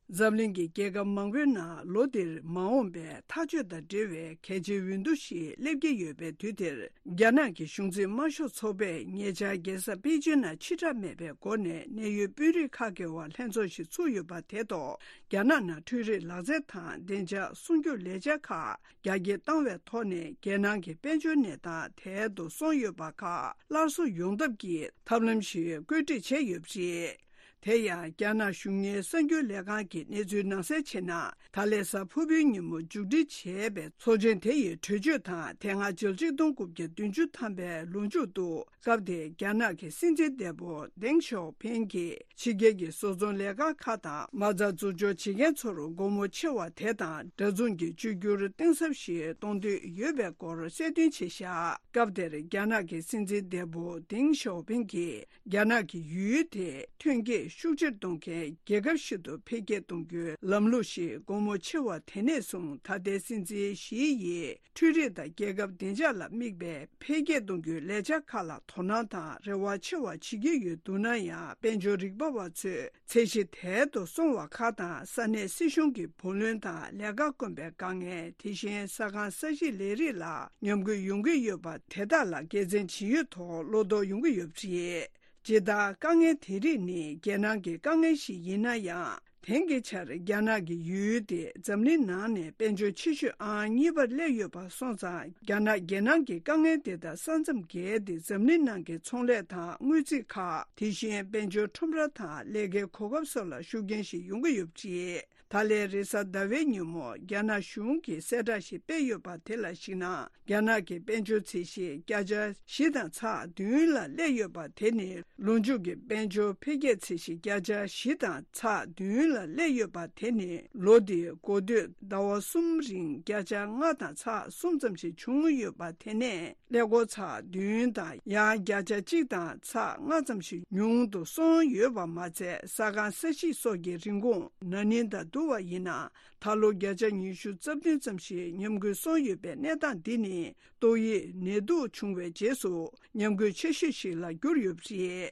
འཛམ་གླིང་གི་རྒྱལ་ཁབ་མང་པོའི་ནང་ལོ་འདིར་མ་འོངས་པའི་ཐག་གཅོད་དང་འབྲེལ་བའི་གལ་ཆེའི་འོས་བསྡུ་ཞིག་སླེབས་ཀྱི་ཡོད་པའི་དུས་དེར། རྒྱ་ནག་གི་གཞུང་འཛིན་དམར་ཤོག་ཚོགས་པས་ཉེ་ཆར་རྒྱལ་ས་པེ་ཅིན་ནང་ཕྱིར་བསྒྲགས་མེད་པའི་སྒོ་ནས་གནད་ཡོད་དཔོན་རིགས་ཁག་གི་དབར་ལྷན་ཚོགས་ཤིག་ཚུགས་ཡོད་པ་དེ་ཐོག་རྒྱ་ནག་ནང་འཕྲུལ་རིག་ལག་རྩལ་དང་བདེ་འཇགས་སྲུང་སྐྱོབ་ལས་འཆར་ཁག་རྒྱ་སྐྱེད་བཏང་བའི་ཐོག་ནས་རྒྱལ་ནང་གི་དཔལ་འབྱོར་གནས་སྟངས་དལ་དུ་སོང་ཡོད་པ་ཁག་སླར་གསོ་ཡོང་ཐབས་ཀྱི་ཐབས་ལམ་ཞིག་བཀོད་སྒྲིག་བྱས་ཡོད་པ་རེད། དེ་ཡང་རྒྱ་ནག་གཞུང་གཉེར་གསར་འགྱུར་ལས་ཁང་གི་གནས་ཚུལ་ནང་གསལ་བྱས་ན། ད་ལན་གཟའ་ཕུར་བུའི་ཉིན་མོ་མཇུག་སྒྲིལ་བྱས་པའི་ཚོགས་ཆེན་དེ་ཡི་གྲོས་ཆོད་དང་དེ་སྔ་ཕྱི་ལོ་ཆིག་སྟོང་དགུ་བརྒྱ་བདུན་ཅུ་ཐམ་པའི་ལོ་མཇུག་ཏུ། སྐབས་དེར་རྒྱ་ནག་གི་སྲིད་འཛིན་འདས་པོ་ཏེང་ཞའོ་ཕིང་གིས་ཕྱི་རྒྱལ་གྱི་བཟོ་ཚོང་ལས་ཁང་ཁག་དང་མ་རྩ་འཛུགས་སྐྱོང་བྱེད་མཁན་ཚོར་སྒོ་མོ་ཆེ་བ་དེ་དང་འདྲ་མཚུངས་ཀྱི་བཅོས་བསྒྱུར་གཏིང་ཟབ་ཞིག་གཏོང་འདོད་ཡོད་པའི་སྐོར་གསལ་སྟོན་བྱས་བཞག་སྐབས་དེར་རྒྱ་ནག་གི་སྲིད་འཛིན་འདས་པོ་ཏེང་ཞའོ་ཕིང་གིས། རྒྱ་ནག་གི་ཡུལ་དེ་ཐོན་སྐྱེད་ཤུགས་ཆེར་གཏོང་མཁན་རྒྱལ་ཁབ་ཞིག་ཏུ་འཕེལ་རྒྱས་གཏོང་རྒྱུའི་ལམ་ལུགས་ཤིག་སྒོ་མོ་ཕྱེ་བ་དེ་ནས་བཟུང་ད་ལྟའི་སྲིད་འཛིན་ཞི་ཡིས་འཕྲུལ་རིག་དང་རྒྱལ་ཁབ་བདེ་འཇགས་ལ་དམིགས་པའི་འཕེལ་རྒྱས་གཏོང་རྒྱུའི་ལས་འཆར་ཁག་ལ་དོ་སྣང་དང་རེ་བ་ཆེ་བ་བྱེད་ཀྱི་ཡོད་འདུག་ན་ཡང་། དཔལ་འབྱོར་རིག་པ་བ་ཚོས་ཚད་གཞི་དལ་དུ་སོང་བ་ཁག་དང་ས་གནས་སྲིད་གཞུང་གི་བུ་ལོན་དང་ལས་ཀ་དཀོན་པའི་དཀའ་ངལ། དེ་བཞིན་ས་ཁང་ས་གཞིའི་ལས་རིགས་ལ་ཉམས་རྒུད་ཡོང་གི་ཡོད་པ་དེ་དག་ལ་དགེ་མཚན་ཇི་ཡོད་ཐོག་བློ་དོགས་ཡོང་གི་ཡོད་པ་རེད། ཇི་ལྟར་དཀའ་ངལ་དེ་རིགས་ནི་རྒྱལ་ནང་གི་དཀའ་ངལ་ཞིག་ཡིན་ན་ཡང་། དེང་གི་ཆར་རྒྱ་ནག་གི་ཡུལ་དེ་འཛམ་གླིང་ནང་ནས་དཔལ་འབྱོར་ཆེ་ཤོས་ཨང་གཉིས་པར་སླེབས་ཡོད་པ་སོང་ཙང་། རྒྱ་ནག་རྒྱལ་ནང་གི་དཀའ་ངལ་དེ་དག་ས་མཚམས་བརྒལ་ཏེ་འཛམ་གླིང་ནང་གི་ཚོང་ལས་དང་དངུལ་རྩིས་ཁག་དེ་བཞིན་དཔལ་འབྱོར་ཁྲོམ་ར་དང་ལས་ཀའི་གོ་སྐབས་སོགས་ལ་ཤུགས་རྐྱེན་ཞིག་ཡོང་གི་ཡོད་པ་རེད། ད་ལན་རེས་གཟའ་ཟླ་བའི་ཉིན་མོ་རྒྱ་ནག་གཞུང་གིས་གསལ་བསྒྲགས་ཤིག་སྤེལ་ཡོད་པ་དེ་ལ་གཞིགས་ན། རྒྱ་ནག་གི་དཔལ་འབྱོར་ཚད་གཞི་བརྒྱ་ཆ་བཞི་དང་ཚེག་བདུན་ལ་སླེབས་ཡོད་པ་དེ་ནི། ལོ་མཇུག་གི་དཔལ་འབྱོར་འཕེལ་རྒྱས་ཚད་གཞི་བརྒྱ་ཆ་བཞི་དང་ཚེག་བདུན་ལ་སླེབས་ཡོད་པ་དེ་ནི། ལོ་འདིའི་འགོ་སྟོད་ཟླ་བ་གསུམ་རིང་བརྒྱ་ཆ་ལྔ་དང་ཚེག་གསུམ་ཙམ་ཞིག་བྱུང་ཡོད་པ་དེ་ནས། ཀླད་ཀོར་ཚེག་བདུན་དང་ཡང་བརྒྱ་ཆ་གཅིག་དང་ཚེག་ལྔ་ཙམ་ཞིག་ཉུང་དུ་སོང་ཡོད་པ་མ་ཚད། ས་ཁང་ས་གཞིས་སོགས་ཀྱི་རིན་གོང་ན་ནིང་དང་བསྡུར་བ་ཡིན་ན། ད་ལོ་བརྒྱ་ཆ་ཉི་ཤུ་རྩ་བདུན་ཙམ་ཞིག་ཉམས་རྒུད་སོང་ཡོད་པའི་གནས་སྟངས་འདི་ནི། ཏོག་དབྱིབས་ནད་དུག་བྱུང་བའི་རྗེས་སུ་ཉམས་རྒུད་ཆེ་ཤོས་ཤིག་ལ་གྱུར་ཡོད་པ་རེད།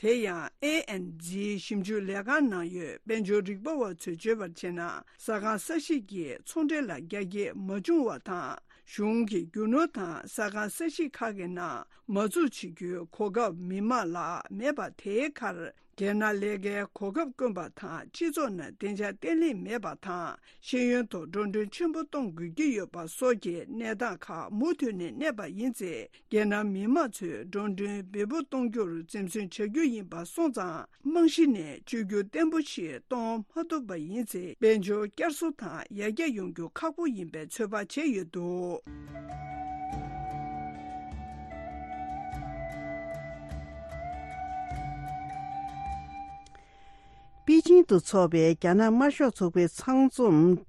དེ་ཡང་ཨེ་ཨེན་ཛི་ཞིབ་འཇུག་ལས་ཁང་ནང་ཡོད་དཔལ་འབྱོར་རིག་པ་བ་ཚོས་བརྗོད་པར་བྱས་ན། ས་ཁང་ས་གཞིས་ཀྱི་ཚོང་འབྲེལ་ལ་རྒྱ་སྐྱེད་མ་བྱུང་བ་དང་། གཞུང་གི་རྒྱུ་ནོར་དང་ས་ཁང་ས་གཞིས་ཁག་གི་ནང་མ་འཛུགས་བྱེད་རྒྱུའི་གོ་སྐབས་མི་མང་ལ་མེད་པ་དེའི་ཁར། རྒྱལ་ནང་ལས་ཀའི་གོ་སྐབས་དཀོན་པ་དང་། སྤྱི་ཚོགས་ནང་བདེ་འཇགས་བརྟན་ལྷིང་མེད་པ་དང་། ཤེས་ཡོན་ཐོག་འགྲོ་གྲོན་ཆེན་པོ་གཏོང་དགོས་ཀྱི་ཡོད་པ་སོགས་ཀྱི་གནས་སྟངས་ཁག་མུ་མཐུད་ནས་གནས་པ་ཡིན་ཚེ། རྒྱལ་ནང་མི་མང་ཚོས་འགྲོ་གྲོན་འབེལ་པོ་གཏོང་རྒྱུར་འཛེམ་ཟོན་བྱ་རྒྱུ་ཡིན་པ་སོང་ཙང་། རྨང་གཞི་ནས་བཅོས་བསྒྱུར་བརྟན་པོ་ཞིག་གཏོང་མ་ཐུབ་པ་ཡིན་ཚེ། དཔལ་འབྱོར་བསྐྱར་གསོ་དང་ཡར་རྒྱས་ཡོང་རྒྱུ་ཁག་པོ་ཡིན་པའི་ཚོད་དཔག་བྱས་ཡོད་འདུག་པེ་ཅིང་དུ་འཚོགས་པའི་རྒྱ་ནག་དམར་ཤོག་ཚོགས་པའི་ཚང་འཛོམས་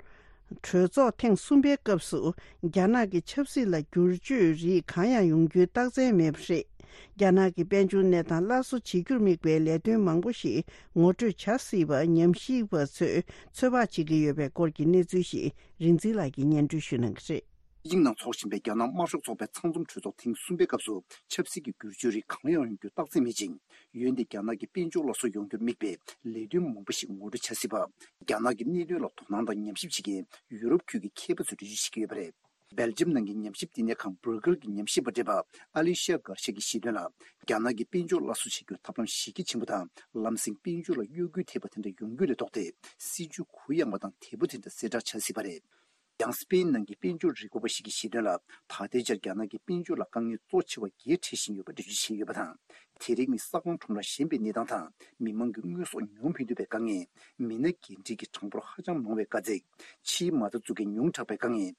གྲོས་ཚོགས་ཐེངས་གསུམ་པའི་སྐབས་སུ། རྒྱ་ནག་གི་ཆབ་སྲིད་ལ་བསྒྱུར་བཅོས་རིགས་གང་ཡང་ཡོང་རྒྱུའི་རྟགས་མཚན་མེད་པ་རེད། རྒྱ་ནག་གི་དཔལ་འབྱོར་གནས་སྟངས་སླར་གསོ་བྱེད་རྒྱུར་དམིགས་པའི་ལས་དོན་མང་པོ་ཞིག་ངོ་སྤྲོད་བྱ་སྲིད་པ་ཉམས་ཞིབ་པ་ཚོས་ཚོད་དཔག་བྱེད་ཀྱི་ཡོད་པའི་སྐོར་གྱི་གནས་ཚུལ་ཞིག་རིག་འཛིན་ལགས་ཀྱིས་སྙན་སྒྲོན་ཞུ་གནང་གི་རེད། པེ་ཅིང་ནང་འཚོགས་བཞིན་པའི་རྒྱ་ནག་དམར་ཤོག་ཚོགས་པའི་ཚང་འཛོམས་གྲོས་ཚོགས་ཐེངས་གསུམ་པའི་སྐབས་སུ། ཆབ་སྲིད་ཀྱི་བསྒྱུར་བཅོས་རིགས་གང་ཡང་ཡོང་རྒྱུ་རྟགས་མཚན་མེད་ཅིང་། འོན་ཏེ་རྒྱ་ནག་གི་དཔལ་འབྱོར་སླར་གསོ་ཡོང་རྒྱུར་དམིགས་པའི་ལས་དོན་མང་པོ་ཞིག་ངོ་སྤྲོད་བྱ་སྲིད་པ། རྒྱ་ནག་གི་གནད་དོན་ལ་དོ་སྣང་དང་ཉམས་ཞིབ་བྱེད་མཁན་ཡུ་རོབ་ཁུལ་གྱི་མཁས་པ་ཚོས་འགྲེལ་བརྗོད་བྱེད་ཀྱི་ཡོད་པ་རེད། སྦེལ་ཇམ་ནང་གི་ཉམས་ཞིབ་བསྟི་གནས་ཁང་སྦྲུ་ཀེལ་གྱི་ཉམས་ཞིབ་པ་བགྲེས་པ་ཨ་ལི་ཤ་གར་ཤ་གྱིས་བཤད་དོན་ལ། རྒྱ་ནག་གི་དཔལ་འབྱོར་སླར་གསོ་བྱེད་རྒྱུར་ཐབས་ལམ་གཞི་རྒྱ་ཆེན་པོ་དང་། ལམ་སེང་དཔལ་འབྱོར་ལ་གཡོ་འགུལ་ཐེབས་པ་དེ་འདྲ་ཡོང་རྒྱུ་ལས་ལྡོག་སྟེ། སྲིད་ཇུས་གུ་ཡངས་པ་དང་དལ་པོ་དེ་འདྲ་གསལ་བསྒྲགས་བྱ་སྲིད་པ་རེད། ཡང་སྤེན་ནང་གི་དཔལ་འབྱོར་རིག་པ་བ་ཞིག་གིས་བཤད་དོན་ལ། ད་ལྟའི་ཆར་རྒྱ་ནག་གི་དཔལ་འབྱོར་ལ་དཀའ་ངལ་གཙོ་ཆེ་བ་བརྒྱད་འཕྲད་བཞིན་ཡོད་པ་འགྲེལ་བརྗོད་བྱས་ཡོད་པ་དང་། དེ་རིགས་ནི་ས་ཁང་ཁྲོམ་ར་ཞན་པའི་གནས་སྟངས་དང་། མི་མང་གི་དངོས་ཟོག་ཉུང་ཕན་ཐོགས་པའི་དཀའ་ངལ། མི་སྣ་འགན་འཁྲི་གི་གྲངས་འབོར་ཧ་ཅང་མང་བའི་དཀའ་ཚེགས། ཕྱིའི་མ་རྩ་འཛུགས་མཁན་ཉུང་དྲགས་པའི་དཀའ་ངལ།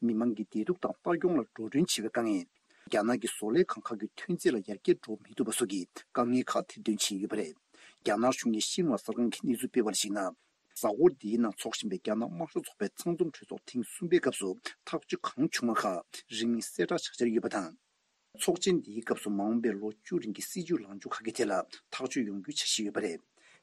མི་མང་གི་བདེ་སྡུག་དང་ལྟ་སྐྱོང་ལ་འགྲོ་གྲོན་ཆེ་བའི་དཀའ་ངལ། རྒྱ་ནག་གི་བཟོ་ལས་ཁང་ཁག་གི་ཐོན་རྫས་ལ་ཡར་རྒྱས་འགྲོ་མི་ཐུབ་པ་སོགས་ཀྱི་དཀའ་ངལ་ཁག་ཐེར་འདོན་བྱས་ཡོད་པ་རེད། རྒྱ་ནག་གཞུང་གིས་ཤིན་ཧྭ་གསར་ཁང་གིས་གནས་ཚུལ་སྤེལ་བར་གཞིགས་ན། གཟའ་འཁོར་འདིའི་ནང་འཚོགས་བཞིན་པའི་རྒྱ་ནག་དམར་ཤོག་ཚོགས་པའི་ཚང་འཛོམས་གྲོས་ཚོགས་ཐེངས་གསུམ་པའི་སྐབས་སུ། ཐག་གཅོད་གང་བྱུང་བ་ཁག་རིང་མིན་གསལ་བསྒྲགས་བྱ་འཆར་ཡོད་པ་དང་། ཚོགས་ཆེན་འདིའི་སྐབས་སུ་མ་འོངས་པའི་ལོ་བཅུ་རིང་གི་སྲིད་ཇུས་ལངས་ཕྱོགས་ཁག་གི་ཐད་ལ་ཐག་གཅོད་ཡོང་རྒྱུའི་འཆར་གཞི་ཡོད་པ་རེད།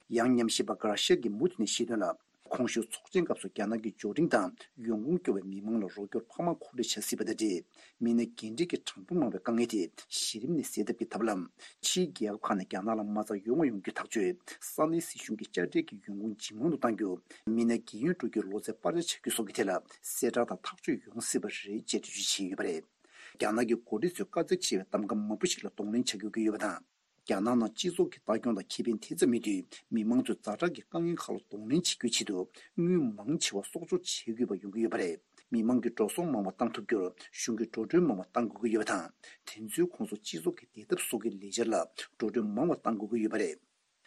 ཡང་ཉམས་ཞིབ་པ་གྷ་ར་ཤ་གིས་མུ་མཐུད་ནས་བཤད་དོན་ལ། གོང་ཞུས་ཚོགས་ཆེན་སྐབས་སུ་རྒྱ་ནག་གི་འབྱོར་འབྲིང་དང་ཡོང་ཁུངས་སྐྱོ་བའི་མི་མང་ལ་རོགས་སྐྱོར་འཕར་མ་མཁོ་སྤྲོད་བྱ་སྲིད་པ་དང་འབྲེལ། མི་སྣ་འགན་འཁྲི་གི་གྲངས་འབོར་མང་བའི་དཀའ་ངལ་དེ་གཞི་རིམ་ནས་སེལ་ཐབས་ཀྱི་ཐབས་ལམ། ཕྱིའི་རྒྱལ་ཁབ་ཁག་ནས་རྒྱ་ནག་ལ་མ་རྩ་ཡོང་བ་ཡོང་རྒྱུ་ཐག་གཅོད། ས་གནས་སྲིད་གཞུང་གི་དཔྱ་ཁྲལ་གྱི་ཡོང་ཁུངས་ཇེ་མང་དུ་གཏང་རྒྱུ། མི་སྣ་རྒན་ཡོལ་འགྲོ་རྒྱུའི་ལོ་ཚད་སྤར་ཆ་བྱ་རྒྱུ་སོགས་ཀྱི་ཐད་ལ་གསལ་བསྒྲགས་དང་ཐག་གཅོད་ཡོང་སྲིད་པ་རེད་ཅེས་འགྲེལ་བརྗོད་བྱས་ཡོད་པ་རེད། རྒྱ་ནག་གི་འགོ་ཁྲིད་ཚོས་དཀའ་ཚེགས་ཆེ་བའི་གདམ་ག་མང་པོ་ཞིག་ལ་གདོང་ལེན་བྱ་དགོས་ཀྱི་ཡོད་པ་དང་། རྒྱ་ནག་ནང་སྤྱི་ཚོགས་ཀྱི་ལྟ་སྐྱོང་དང་ཁེ་ཕན་དེ་ཙམ་མེད་དུས། མི་མང་ཚོས་ཛ་དྲག་གི་དཀའ་ངལ་ཁག་ལ་གདོང་ལེན་བྱེད་རྒྱུའི་ཆེད་དུ། དངུལ་མང་ཆེ་བ་གསོག་འཇོག་བྱེད་དགོས་པ་ཡོང་གི་ཡོད་པ་རེད། མི་མང་གི་འགྲོ་སོང་མང་བ་བཏང་ཐུབ་རྒྱུར་གཞུང་གིས་འགྲོ་གྲོན་མང་བ་བཏང་དགོས་ཀྱི་ཡོད་པ་དང་། དེ་ཚོའི་ཁོངས་སུ་སྤྱི་ཚོགས་ཀྱི་བདེ་ཐབས་སོགས་ཀྱི་ལས་འཆར་ལ་འགྲོ་གྲོན་མང་བ་བཏང་དགོས་ཀྱི་ཡོད་པ་རེད།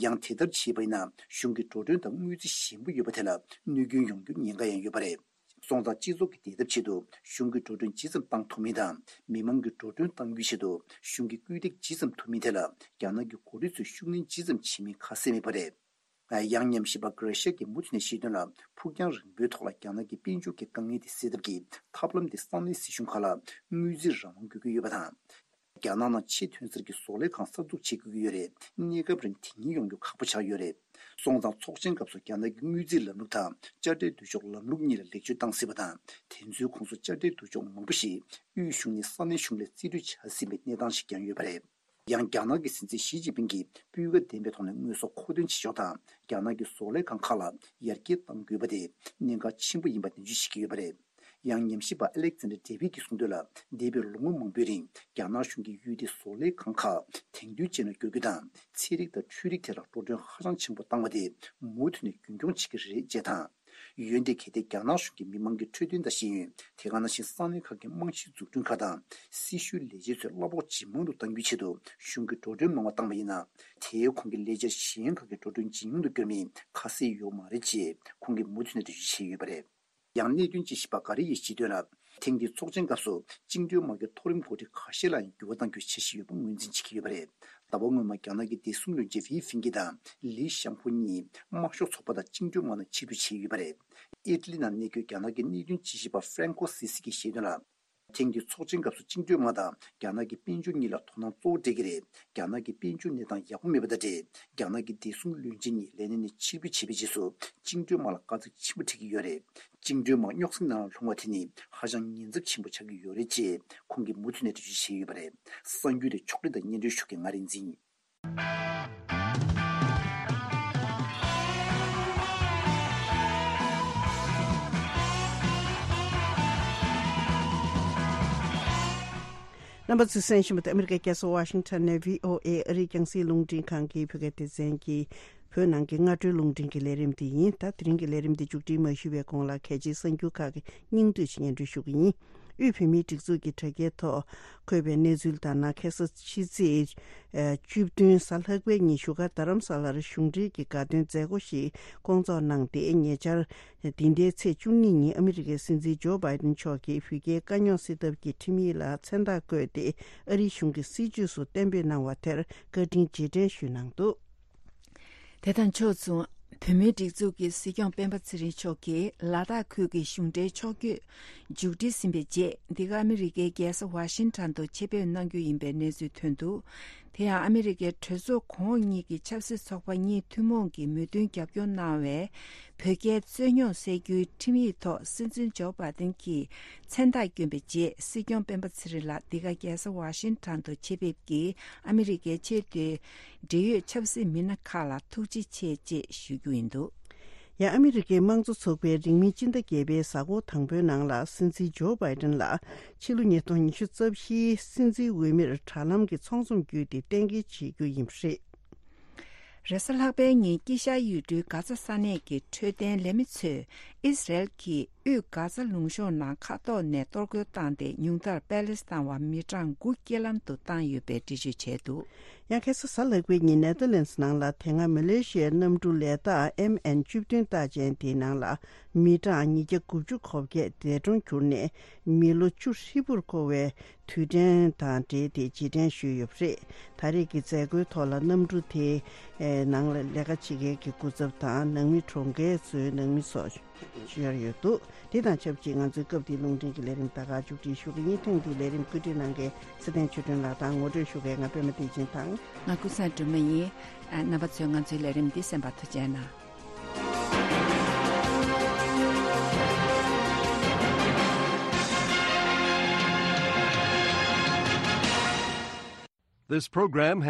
ཡང་དེ་ལྟར་བྱས་པ་ཡིན་ན། གཞུང་གི་འགྲོ་གྲོན་དང་དངུལ་རྩིས་ཞན་པོ་ཡོད་པ་དེ་ལ་གནོད་སྐྱོན་ཡོང་རྒྱུའི་ཉེན་ཁ་ཡང་ཡོད་པ་རེད། སོང་ཙང་སྤྱི་ཚོགས་ཀྱི་བདེ་ཐབས་ཆེད་དུ་གཞུང་གི་འགྲོ་གྲོན་ཇི་ཙམ་བཏང་ཐུབ་མིན་དང་། མི་མང་གི་འགྲོ་གྲོན་གཏང་རྒྱུའི་ཆེད་དུ་གཞུང་གི་སྐུལ་འདེད་ཇི་ཙམ་ཐུབ་མིན་ཐད་ལ་རྒྱ་ནག་གི་འགོ་ཁྲིད་ཚོས་ཤུགས་སྣོན་ཇི་ཙམ་བྱེད་མིན་ཁ་གསལ་མེད་པ་རེད། ཡང་ཉམས་ཞིབ་པ་གྷ་ར་ཤ་གིས་མུ་མཐུད་ནས་བཤད་དོན་ལ། ཕུགས་རྒྱང་རིང་པོའི་ཐོག་ལ་རྒྱ་ནག་གི་དཔལ་འབྱོར་གྱི་དཀའ་ངལ་དེ་སེལ་ཐབས་ཀྱི་ཐབས་ལམ་དེ་ས་གནས་སྲིད་གཞུང་ཁག་ལ་དངུལ་རྩིས་རང་དབང་དགོས་ཀྱི་ཡོད་པ་དང་། རྒྱ་ནག་ནང་ཆེས་ཐོན་གསར་གྱི་བཟོ་ལས་ཁང་གསར་འཛུགས་བྱེད་དགོས་ཀྱི་ཡོད་རེད། གནས་སྐབས་རིང་དེ་གཉིས་ཡོང་རྒྱུ་ཁག་པོ་ཆགས་ཡོད་རེད། སོང་ཙང་ཚོགས་ཆེན་སྐབས་སུ་རྒྱ་ནག་གི་དངུལ་རྩིས་ལམ་ལུགས་དང་དཔྱ་ཁྲལ་སྡུད་གཅོག་ལམ་ལུགས་གཉིས་ལ་ལེགས་བཅོས་བཏང་སྲིད་པ་དང་། དེ་ཚོའི་ཁོངས་སུ་དཔྱ་ཁྲལ་སྡུད་གཅོག་མང་པོ་ཞིག་དབུས་གཞུང་ནས་ས་གནས་གཞུང་ལ་རྩིས་སྤྲོད་བྱ་སྲིད་པའི་གནས་སྟངས་ཤིག་ཀྱང་ཡོད་པ་རེད། ཡང་རྒྱ་ནག་གི་སྲིད་འཛིན་ཞི་ཅིན་ཕིང་གིས་སྤུས་ཀ་ལྡན་པའི་ཐོག་ནས་དངོས་ཟོག་མཁོ་འདོན་བྱེད་ཕྱོགས་དང་། རྒྱ་ནག་གི་བཟོ་ལས་ཁང་ཁག་ལ་ཡར་རྒྱས་གཏང་དགོས་པ་དེ་གནད་འགག་ཆེན་པོ་ཡིན་པ་ནན་བརྗོད་བྱེད་ཀྱི་ཡོད་པ་རེད། ཡང་ཉམས་ཞིབ་པ་ཨ་ལེག་ཛན་ཌར་ཌེ་བིད་ཀྱིས་གསུངས་དོན་ལ། འདས་པའི་ལོ་ངོ་མང་པོའི་རིང་རྒྱ་ནག་གཞུང་གིས་ཡུལ་དེའི་བཟོ་ལས་ཁང་ཁག་དེང་དུས་ཅན་ལ་བསྒྱུར་རྒྱུ་དང་། ཚན་རིག་དང་འཕྲུལ་རིག་ཐད་ལ་འགྲོ་གྲོན་ཧ་ཅང་ཆེན་པོ་བཏང་བ་དེ་མུ་མཐུད་ནས་རྒྱུན་འཁྱོངས་བྱེད་ཀྱི་རེད་ཅེས་དང་། འོན་ཏེ་གལ་ཏེ་རྒྱ་ནག་གཞུང་གིས་མི་མང་གི་འཕྲོད་བསྟེན་དང་ཤེས་ཡོན། དེ་ག་ནང་བཞིན་ས་གནས་ཁག་གི་རྨང་གཞི་འཛུགས་སྐྲུན་ཁག་དང་། སྲི་ཞུའི་ལས་བྱེད་ཚོའི་གླ་ཕོགས་ཇེ་མང་དུ་གཏང་རྒྱུའི་ཆེད་དུ་གཞུང་གིས་འགྲོ་གྲོན་མང་བ་བཏང་བ་ཡིན་ན། དེའི་ཁོངས་ཀྱི་ལས་འཆར་གཞན་ཁག་གི་འགྲོ་གྲོན་ཇེ་ཉུང་དུ་བསྐྱོད་མིན་ཁ་གསལ་ཡོད་མ་རེད་ཅེས་ཁོང་གིས་མུ་མཐུད་ནས་འགྲེལ་བརྗོད་བྱས་ཡོད་པ་རེད། ཡང་གནད་དོན་དཔྱད་ཞིབ་པ་གྷ་རི་ཡིས་བཤད་དོན་ལ། ཐེངས་འདིའི་ཚོགས་ཆེན་སྐབས་སུ་བཅིངས་འགྲོལ་དམག་གི་མཐོ་རིམ་འགོ་ཁྲིད་ཁ་ཤས་ལ་ཡང་འགྱུར་བ་གཏང་རྒྱུའི་འཆར་གཞི་ཡོད་པ་ངོས་འཛིན་བྱེད་ཀྱི་ཡོད་པ་རེད། ཟླ་བ་སྔོན་མ་རྒྱ་ནག་གི་བདེ་སྲུང་བློན་ཆེན་ཝེ་ཧྥིང་ཀི་དང་ལི་ཤང་ཧྥུ་གཉིས་དམར་ཤོག་ཚོགས་པ་དང་བཅིངས་འགྲོལ་དམག་ནང་ཕྱིར་འབུད་བྱས་ཡོད་པ་རེད། ཨི་ཊ་ལི་ནང་གནས་འཁོད་རྒྱ་ནག་གི་གནད་དོན་དཔྱད་ཞིབ་པ་ཧྥ་རན་ཀོ་སི་སི་གིས་བཤད་དོན་ལ། ཐེངས་འདིའི་ཚོགས་ཆེན་སྐབས་སུ་བཅིངས་འགྲོལ་དམག་དང་རྒྱ་ནག་གི་དཔལ་འབྱོར་གཉིས་ལ་དོ་སྣང་གཙོ་བོ་སྤྲད་ཀྱི་རེད། རྒྱ་ནག་གི་དཔལ་འབྱོར་གནས་སྟངས་ཡག་པོ་མེད་པ་དང་འབྲེལ། རྒྱ་ནག་གི་བདེ་སྲུང་བློན་ཆེན་གཉིས་ལས་གནས་ནས་ཕྱིར་འབུད་བྱས་པའི་རྗེས་སུ། བཅིངས་འགྲོལ་དམག་ལ་དཀའ་ཚེགས་ཆེན་པོ་འཕྲད་ཀྱི་ཡོད་རེད། བཅིངས་འགྲོལ་དམག་རྙོག་ཟིང་ནང་ལ་ལྷུང་བ་དེ་ནི་ཧ་ཅང་ཉེན་ཚབས་ཆེན་པོ་ཆགས་ཀྱི་ཡོད་རེད་ཅེས་ཁོང་གིས་མུ་མཐུད་ནས་འགྲེལ་བརྗོད་བྱས་ཡོད་པ་རེད། གསར་འགྱུར་དེ་ཕྱོགས་སྒྲིག་དང་སྙན་སྒྲོན་ཞུ་མཁན་ང་རིག་འཛིན་ཡིན། རྣམ་པ་ཚོས་གསན་བཞིན་པ་དེ་ཨ་མི་རི་ཀའི་རྒྱལ་ས་ཝ་ཤིང་ཊོན་ནས་བྷི་ཨོ་ཨེ་ཨ་རིའི་རྒྱང་སྲིང་རླུང་འཕྲིན་ཁང་གི་བོད་སྐད་སྡེ་ཚན་གྱི་བོད་ནང་གི་སྔ་དྲོའི་རླུང་འཕྲིན་གྱི་ལས་རིམ་དེ་ཡིན། ད་དེ་རིང་གི་ལས་རིམ་འདི་མཇུག་སྒྲིལ་མ་ཞུས་པའི་གོང་ལ་གལ་ཆེའི་གསར་འགྱུར་ཁག་གི་སྙིང་བསྡུས་ཤིག་སྙན་སྒྲོན་ཞུ་གི་ཡིན། དབུས་བོད་མིའི་སྒྲིག་འཛུགས་ཀྱི་དྲ་རྒྱའི་ཐོག་འཁོད་པའི་གནས་ཚུལ་ལྟར་ན། ཁ་སང་ཕྱི་ཚེས་བཅུ་བདུན་གཟའ་ལྷག་པའི་ཉིན་བཞུགས་སྒར་རྡ་རམ་ས་ལར་གཞུང་འབྲེལ་གྱི་དགའ་སྟོན་མཛད་སྒོ་ཞིག་བསྐོང་ཚོགས་གནང་སྟེ། ཉེ་ཆར་འདི་ཟླའི་ཚེས་བཅུ་གཉིས་ཉིན་ཨ་མི་རི་ཀའི་སྲིད་འཛིན་ཇོ་བྷའི་ཏིན་མཆོག་གིས་བོད་རྒྱའི་དཀའ་རྙོག་སེལ་ཐབས་ཀྱི་ཁྲིམས་ཡིག་ལ་མཚན་རྟགས་བཀོད་དེ། ཨ་རིའི་གཞུང་གི་སྲིད་བྱུས་སུ་གཏན་འབེབས་གནང་བ་དེར་བཀའ་དྲིན་རྗེས་དྲན་ཞུས་གནང་འདུག། དེ་དང་ཕྱོགས་མཚུངས། བོད་མིའི་སྒྲིག་འཛུགས་ཀྱི་སྲིད་སྐྱོང་སྤེན་པ་ཚེ་རིང་མཆོག་གིས་ལ་དྭགས་ཁུལ་གྱི་གཞུང་འབྲེལ་ཕྱོགས་བསྐྱོད་མཇུག་སྒྲིལ་ཟིན་པའི་རྗེས། འདི་ག་ཨ་མི་རི་ཀའི་རྒྱལ་ས་ཝ་ཤིང་ཊོན་དུ་ཆེད་ཕེབས་གནང་རྒྱུ་ཡིན་པའི་གནས་ཚུལ་ཐོན་འདུག། དེ་ཡང་ཨ་མི་རི་ཀའི་གྲོས་ཚོགས་གོང་འོག་གཉིས་ཀྱི་ཆབ་སྲིད་ཚོགས་པ་གཉིས་ཐུན་མོང་གིས་མོས་མཐུན་རྒྱབ་སྐྱོར་གནང་བའི་བོད་རྒྱའི་རྩོད་རྙོག་སེལ་རྒྱུའི་ཁྲིམས་ཡིག་ཐོག་སྲིད་འཛིན་ཇོ་བྷའི་ཏིན་གྱིས་མཚན་རྟགས་བསྐྱོན་པའི་རྗེས། སྲིད་སྐྱོང་སྤེན་པ་ཚེ་རིང་ལགས་འདི་ག་རྒྱལ་ས་ཝ་ཤིང་ཊོན་དུ་ཆེད་ཕེབས་ཀྱིས་ཨ་མི་རི་ཀའི་ཆེས་མཐོའི་འབྲེལ་ཡོད་ཆབ་སྲིད་མི་སྣ་ཁག་ལ་ཐུགས་རྗེ་ཆེ་ཅེས་ཞུ་རྒྱུ་ཡིན་འདུག། ཡང་ཨ་མི་རི་ཀའི་དམངས་གཙོ་ཚོགས་པས་རིང་མིན་སྤྱི་ཟླ་བརྒྱད་པའི་གཟའ་འཁོར་དང་པོའི་ནང་ལ་སྲིད་འཛིན་ཇོ་བྷའི་ཏིན་ལ་ཕྱི་ལོ་ཉིས་སྟོང་ཉི་ཤུ་རྩ་བཞིའི་སྲིད་འཛིན་འོས་མིར་དྲ་ལམ་གྱི་ཚོགས་འཛོམས་བརྒྱུད་དེ་གཏན་འཁེལ་བྱེད་རྒྱུ་ཡིན་པ་རེད། རེས་གཟའ་ལྷག་པའི་ཉིན་དཀྱིལ་ཤར་ཡུལ་གྲུའི་གྷ་ཛ་ས་གནས་ཀྱི་འཕྲོད་བསྟེན་ལས་མི་ཚོས་ཨིས་རལ་གྱིས་དབུས་གྷ་ཛ་ལུང་གཤོང་ནང་མཁའ་ཐོག་ནས་གཏོར་རྒོལ་བཏང་སྟེ། ཉུང་མཐར་པེ་ལེ་སི་ཐན་བ་མི་གྲངས་དགུ་རྐྱེན་ལམ་དུ་བཏང་ཡོད་པའི་འགྲེལ་བརྗོད་བྱས་འདུག། ཡང་ཁ་སང་གཟའ་ལྷག་པའི་ཉིན་ནེ་ཐར་ལན་སི་ནང་ལ་དེ་སྔ་མ་ལེ་ཤི་ཡའི་གནམ་གྲུ་ལས་ཐག་ཨེམ་ཨེན་བཅུ་བདུན་རྟགས་ཅན་དེའི་ནང་ལ་མི་གྲངས་ཉིས་བརྒྱ་དགུ་བཅུ་གོ་བརྒྱད་འདས་གྲོངས་གྱུར་ནས། མི་ལོ་བཅུ་ཧྲིལ་པོར་འཁོར་བའི་དུས་དྲན་དང་འབྲེལ་ཏེ་རྗེས་དྲན་ཞུས་ཡོད་པ་རེད། ད་རེས་ཀྱི་མཛད་སྒོའི་ཐོག་ལ་གནམ་གྲུ་དེའི་ནང་ལ་ལས་ཀ་བྱེད་མཁན་གྱི་སྐུ་ཚབ་དང་། ནང་མི་གྲོང་ཁྱེར་ཚོའི་ནང་མི་སོགས། ཞུ་ཡར་ཡོད་འདུག་དེ་དང་ཆབས་ཅིག་ང་ཚོའི་སྐབས་འདིའི་རླུང་འཕྲིན་གྱི་ལས་རིམ་ད་ག་མཇུག་སྒྲིལ་ཞུ་གི་ཡིན། ཐེངས་འདིའི་ལས་རིམ་བཀོད་སྒྲིག་གནང་མཁན་ཚེ་བརྟན་ཆོས་སྒྲོན་ལགས་དང་ངོ་སྤྲོད་ཞུ་མཁན་ང་པད་མ་བདེ་ཆེན་དང་། ང་ཀུན་བཟང་སྒྲོལ་མ་ཡིན། ཨ། རྣམ་པ་ཚོས་ང་ཚོའི་ལས་རིམ་འདི་གསན་པར་ཐུགས་རྗེ་གནང་། This program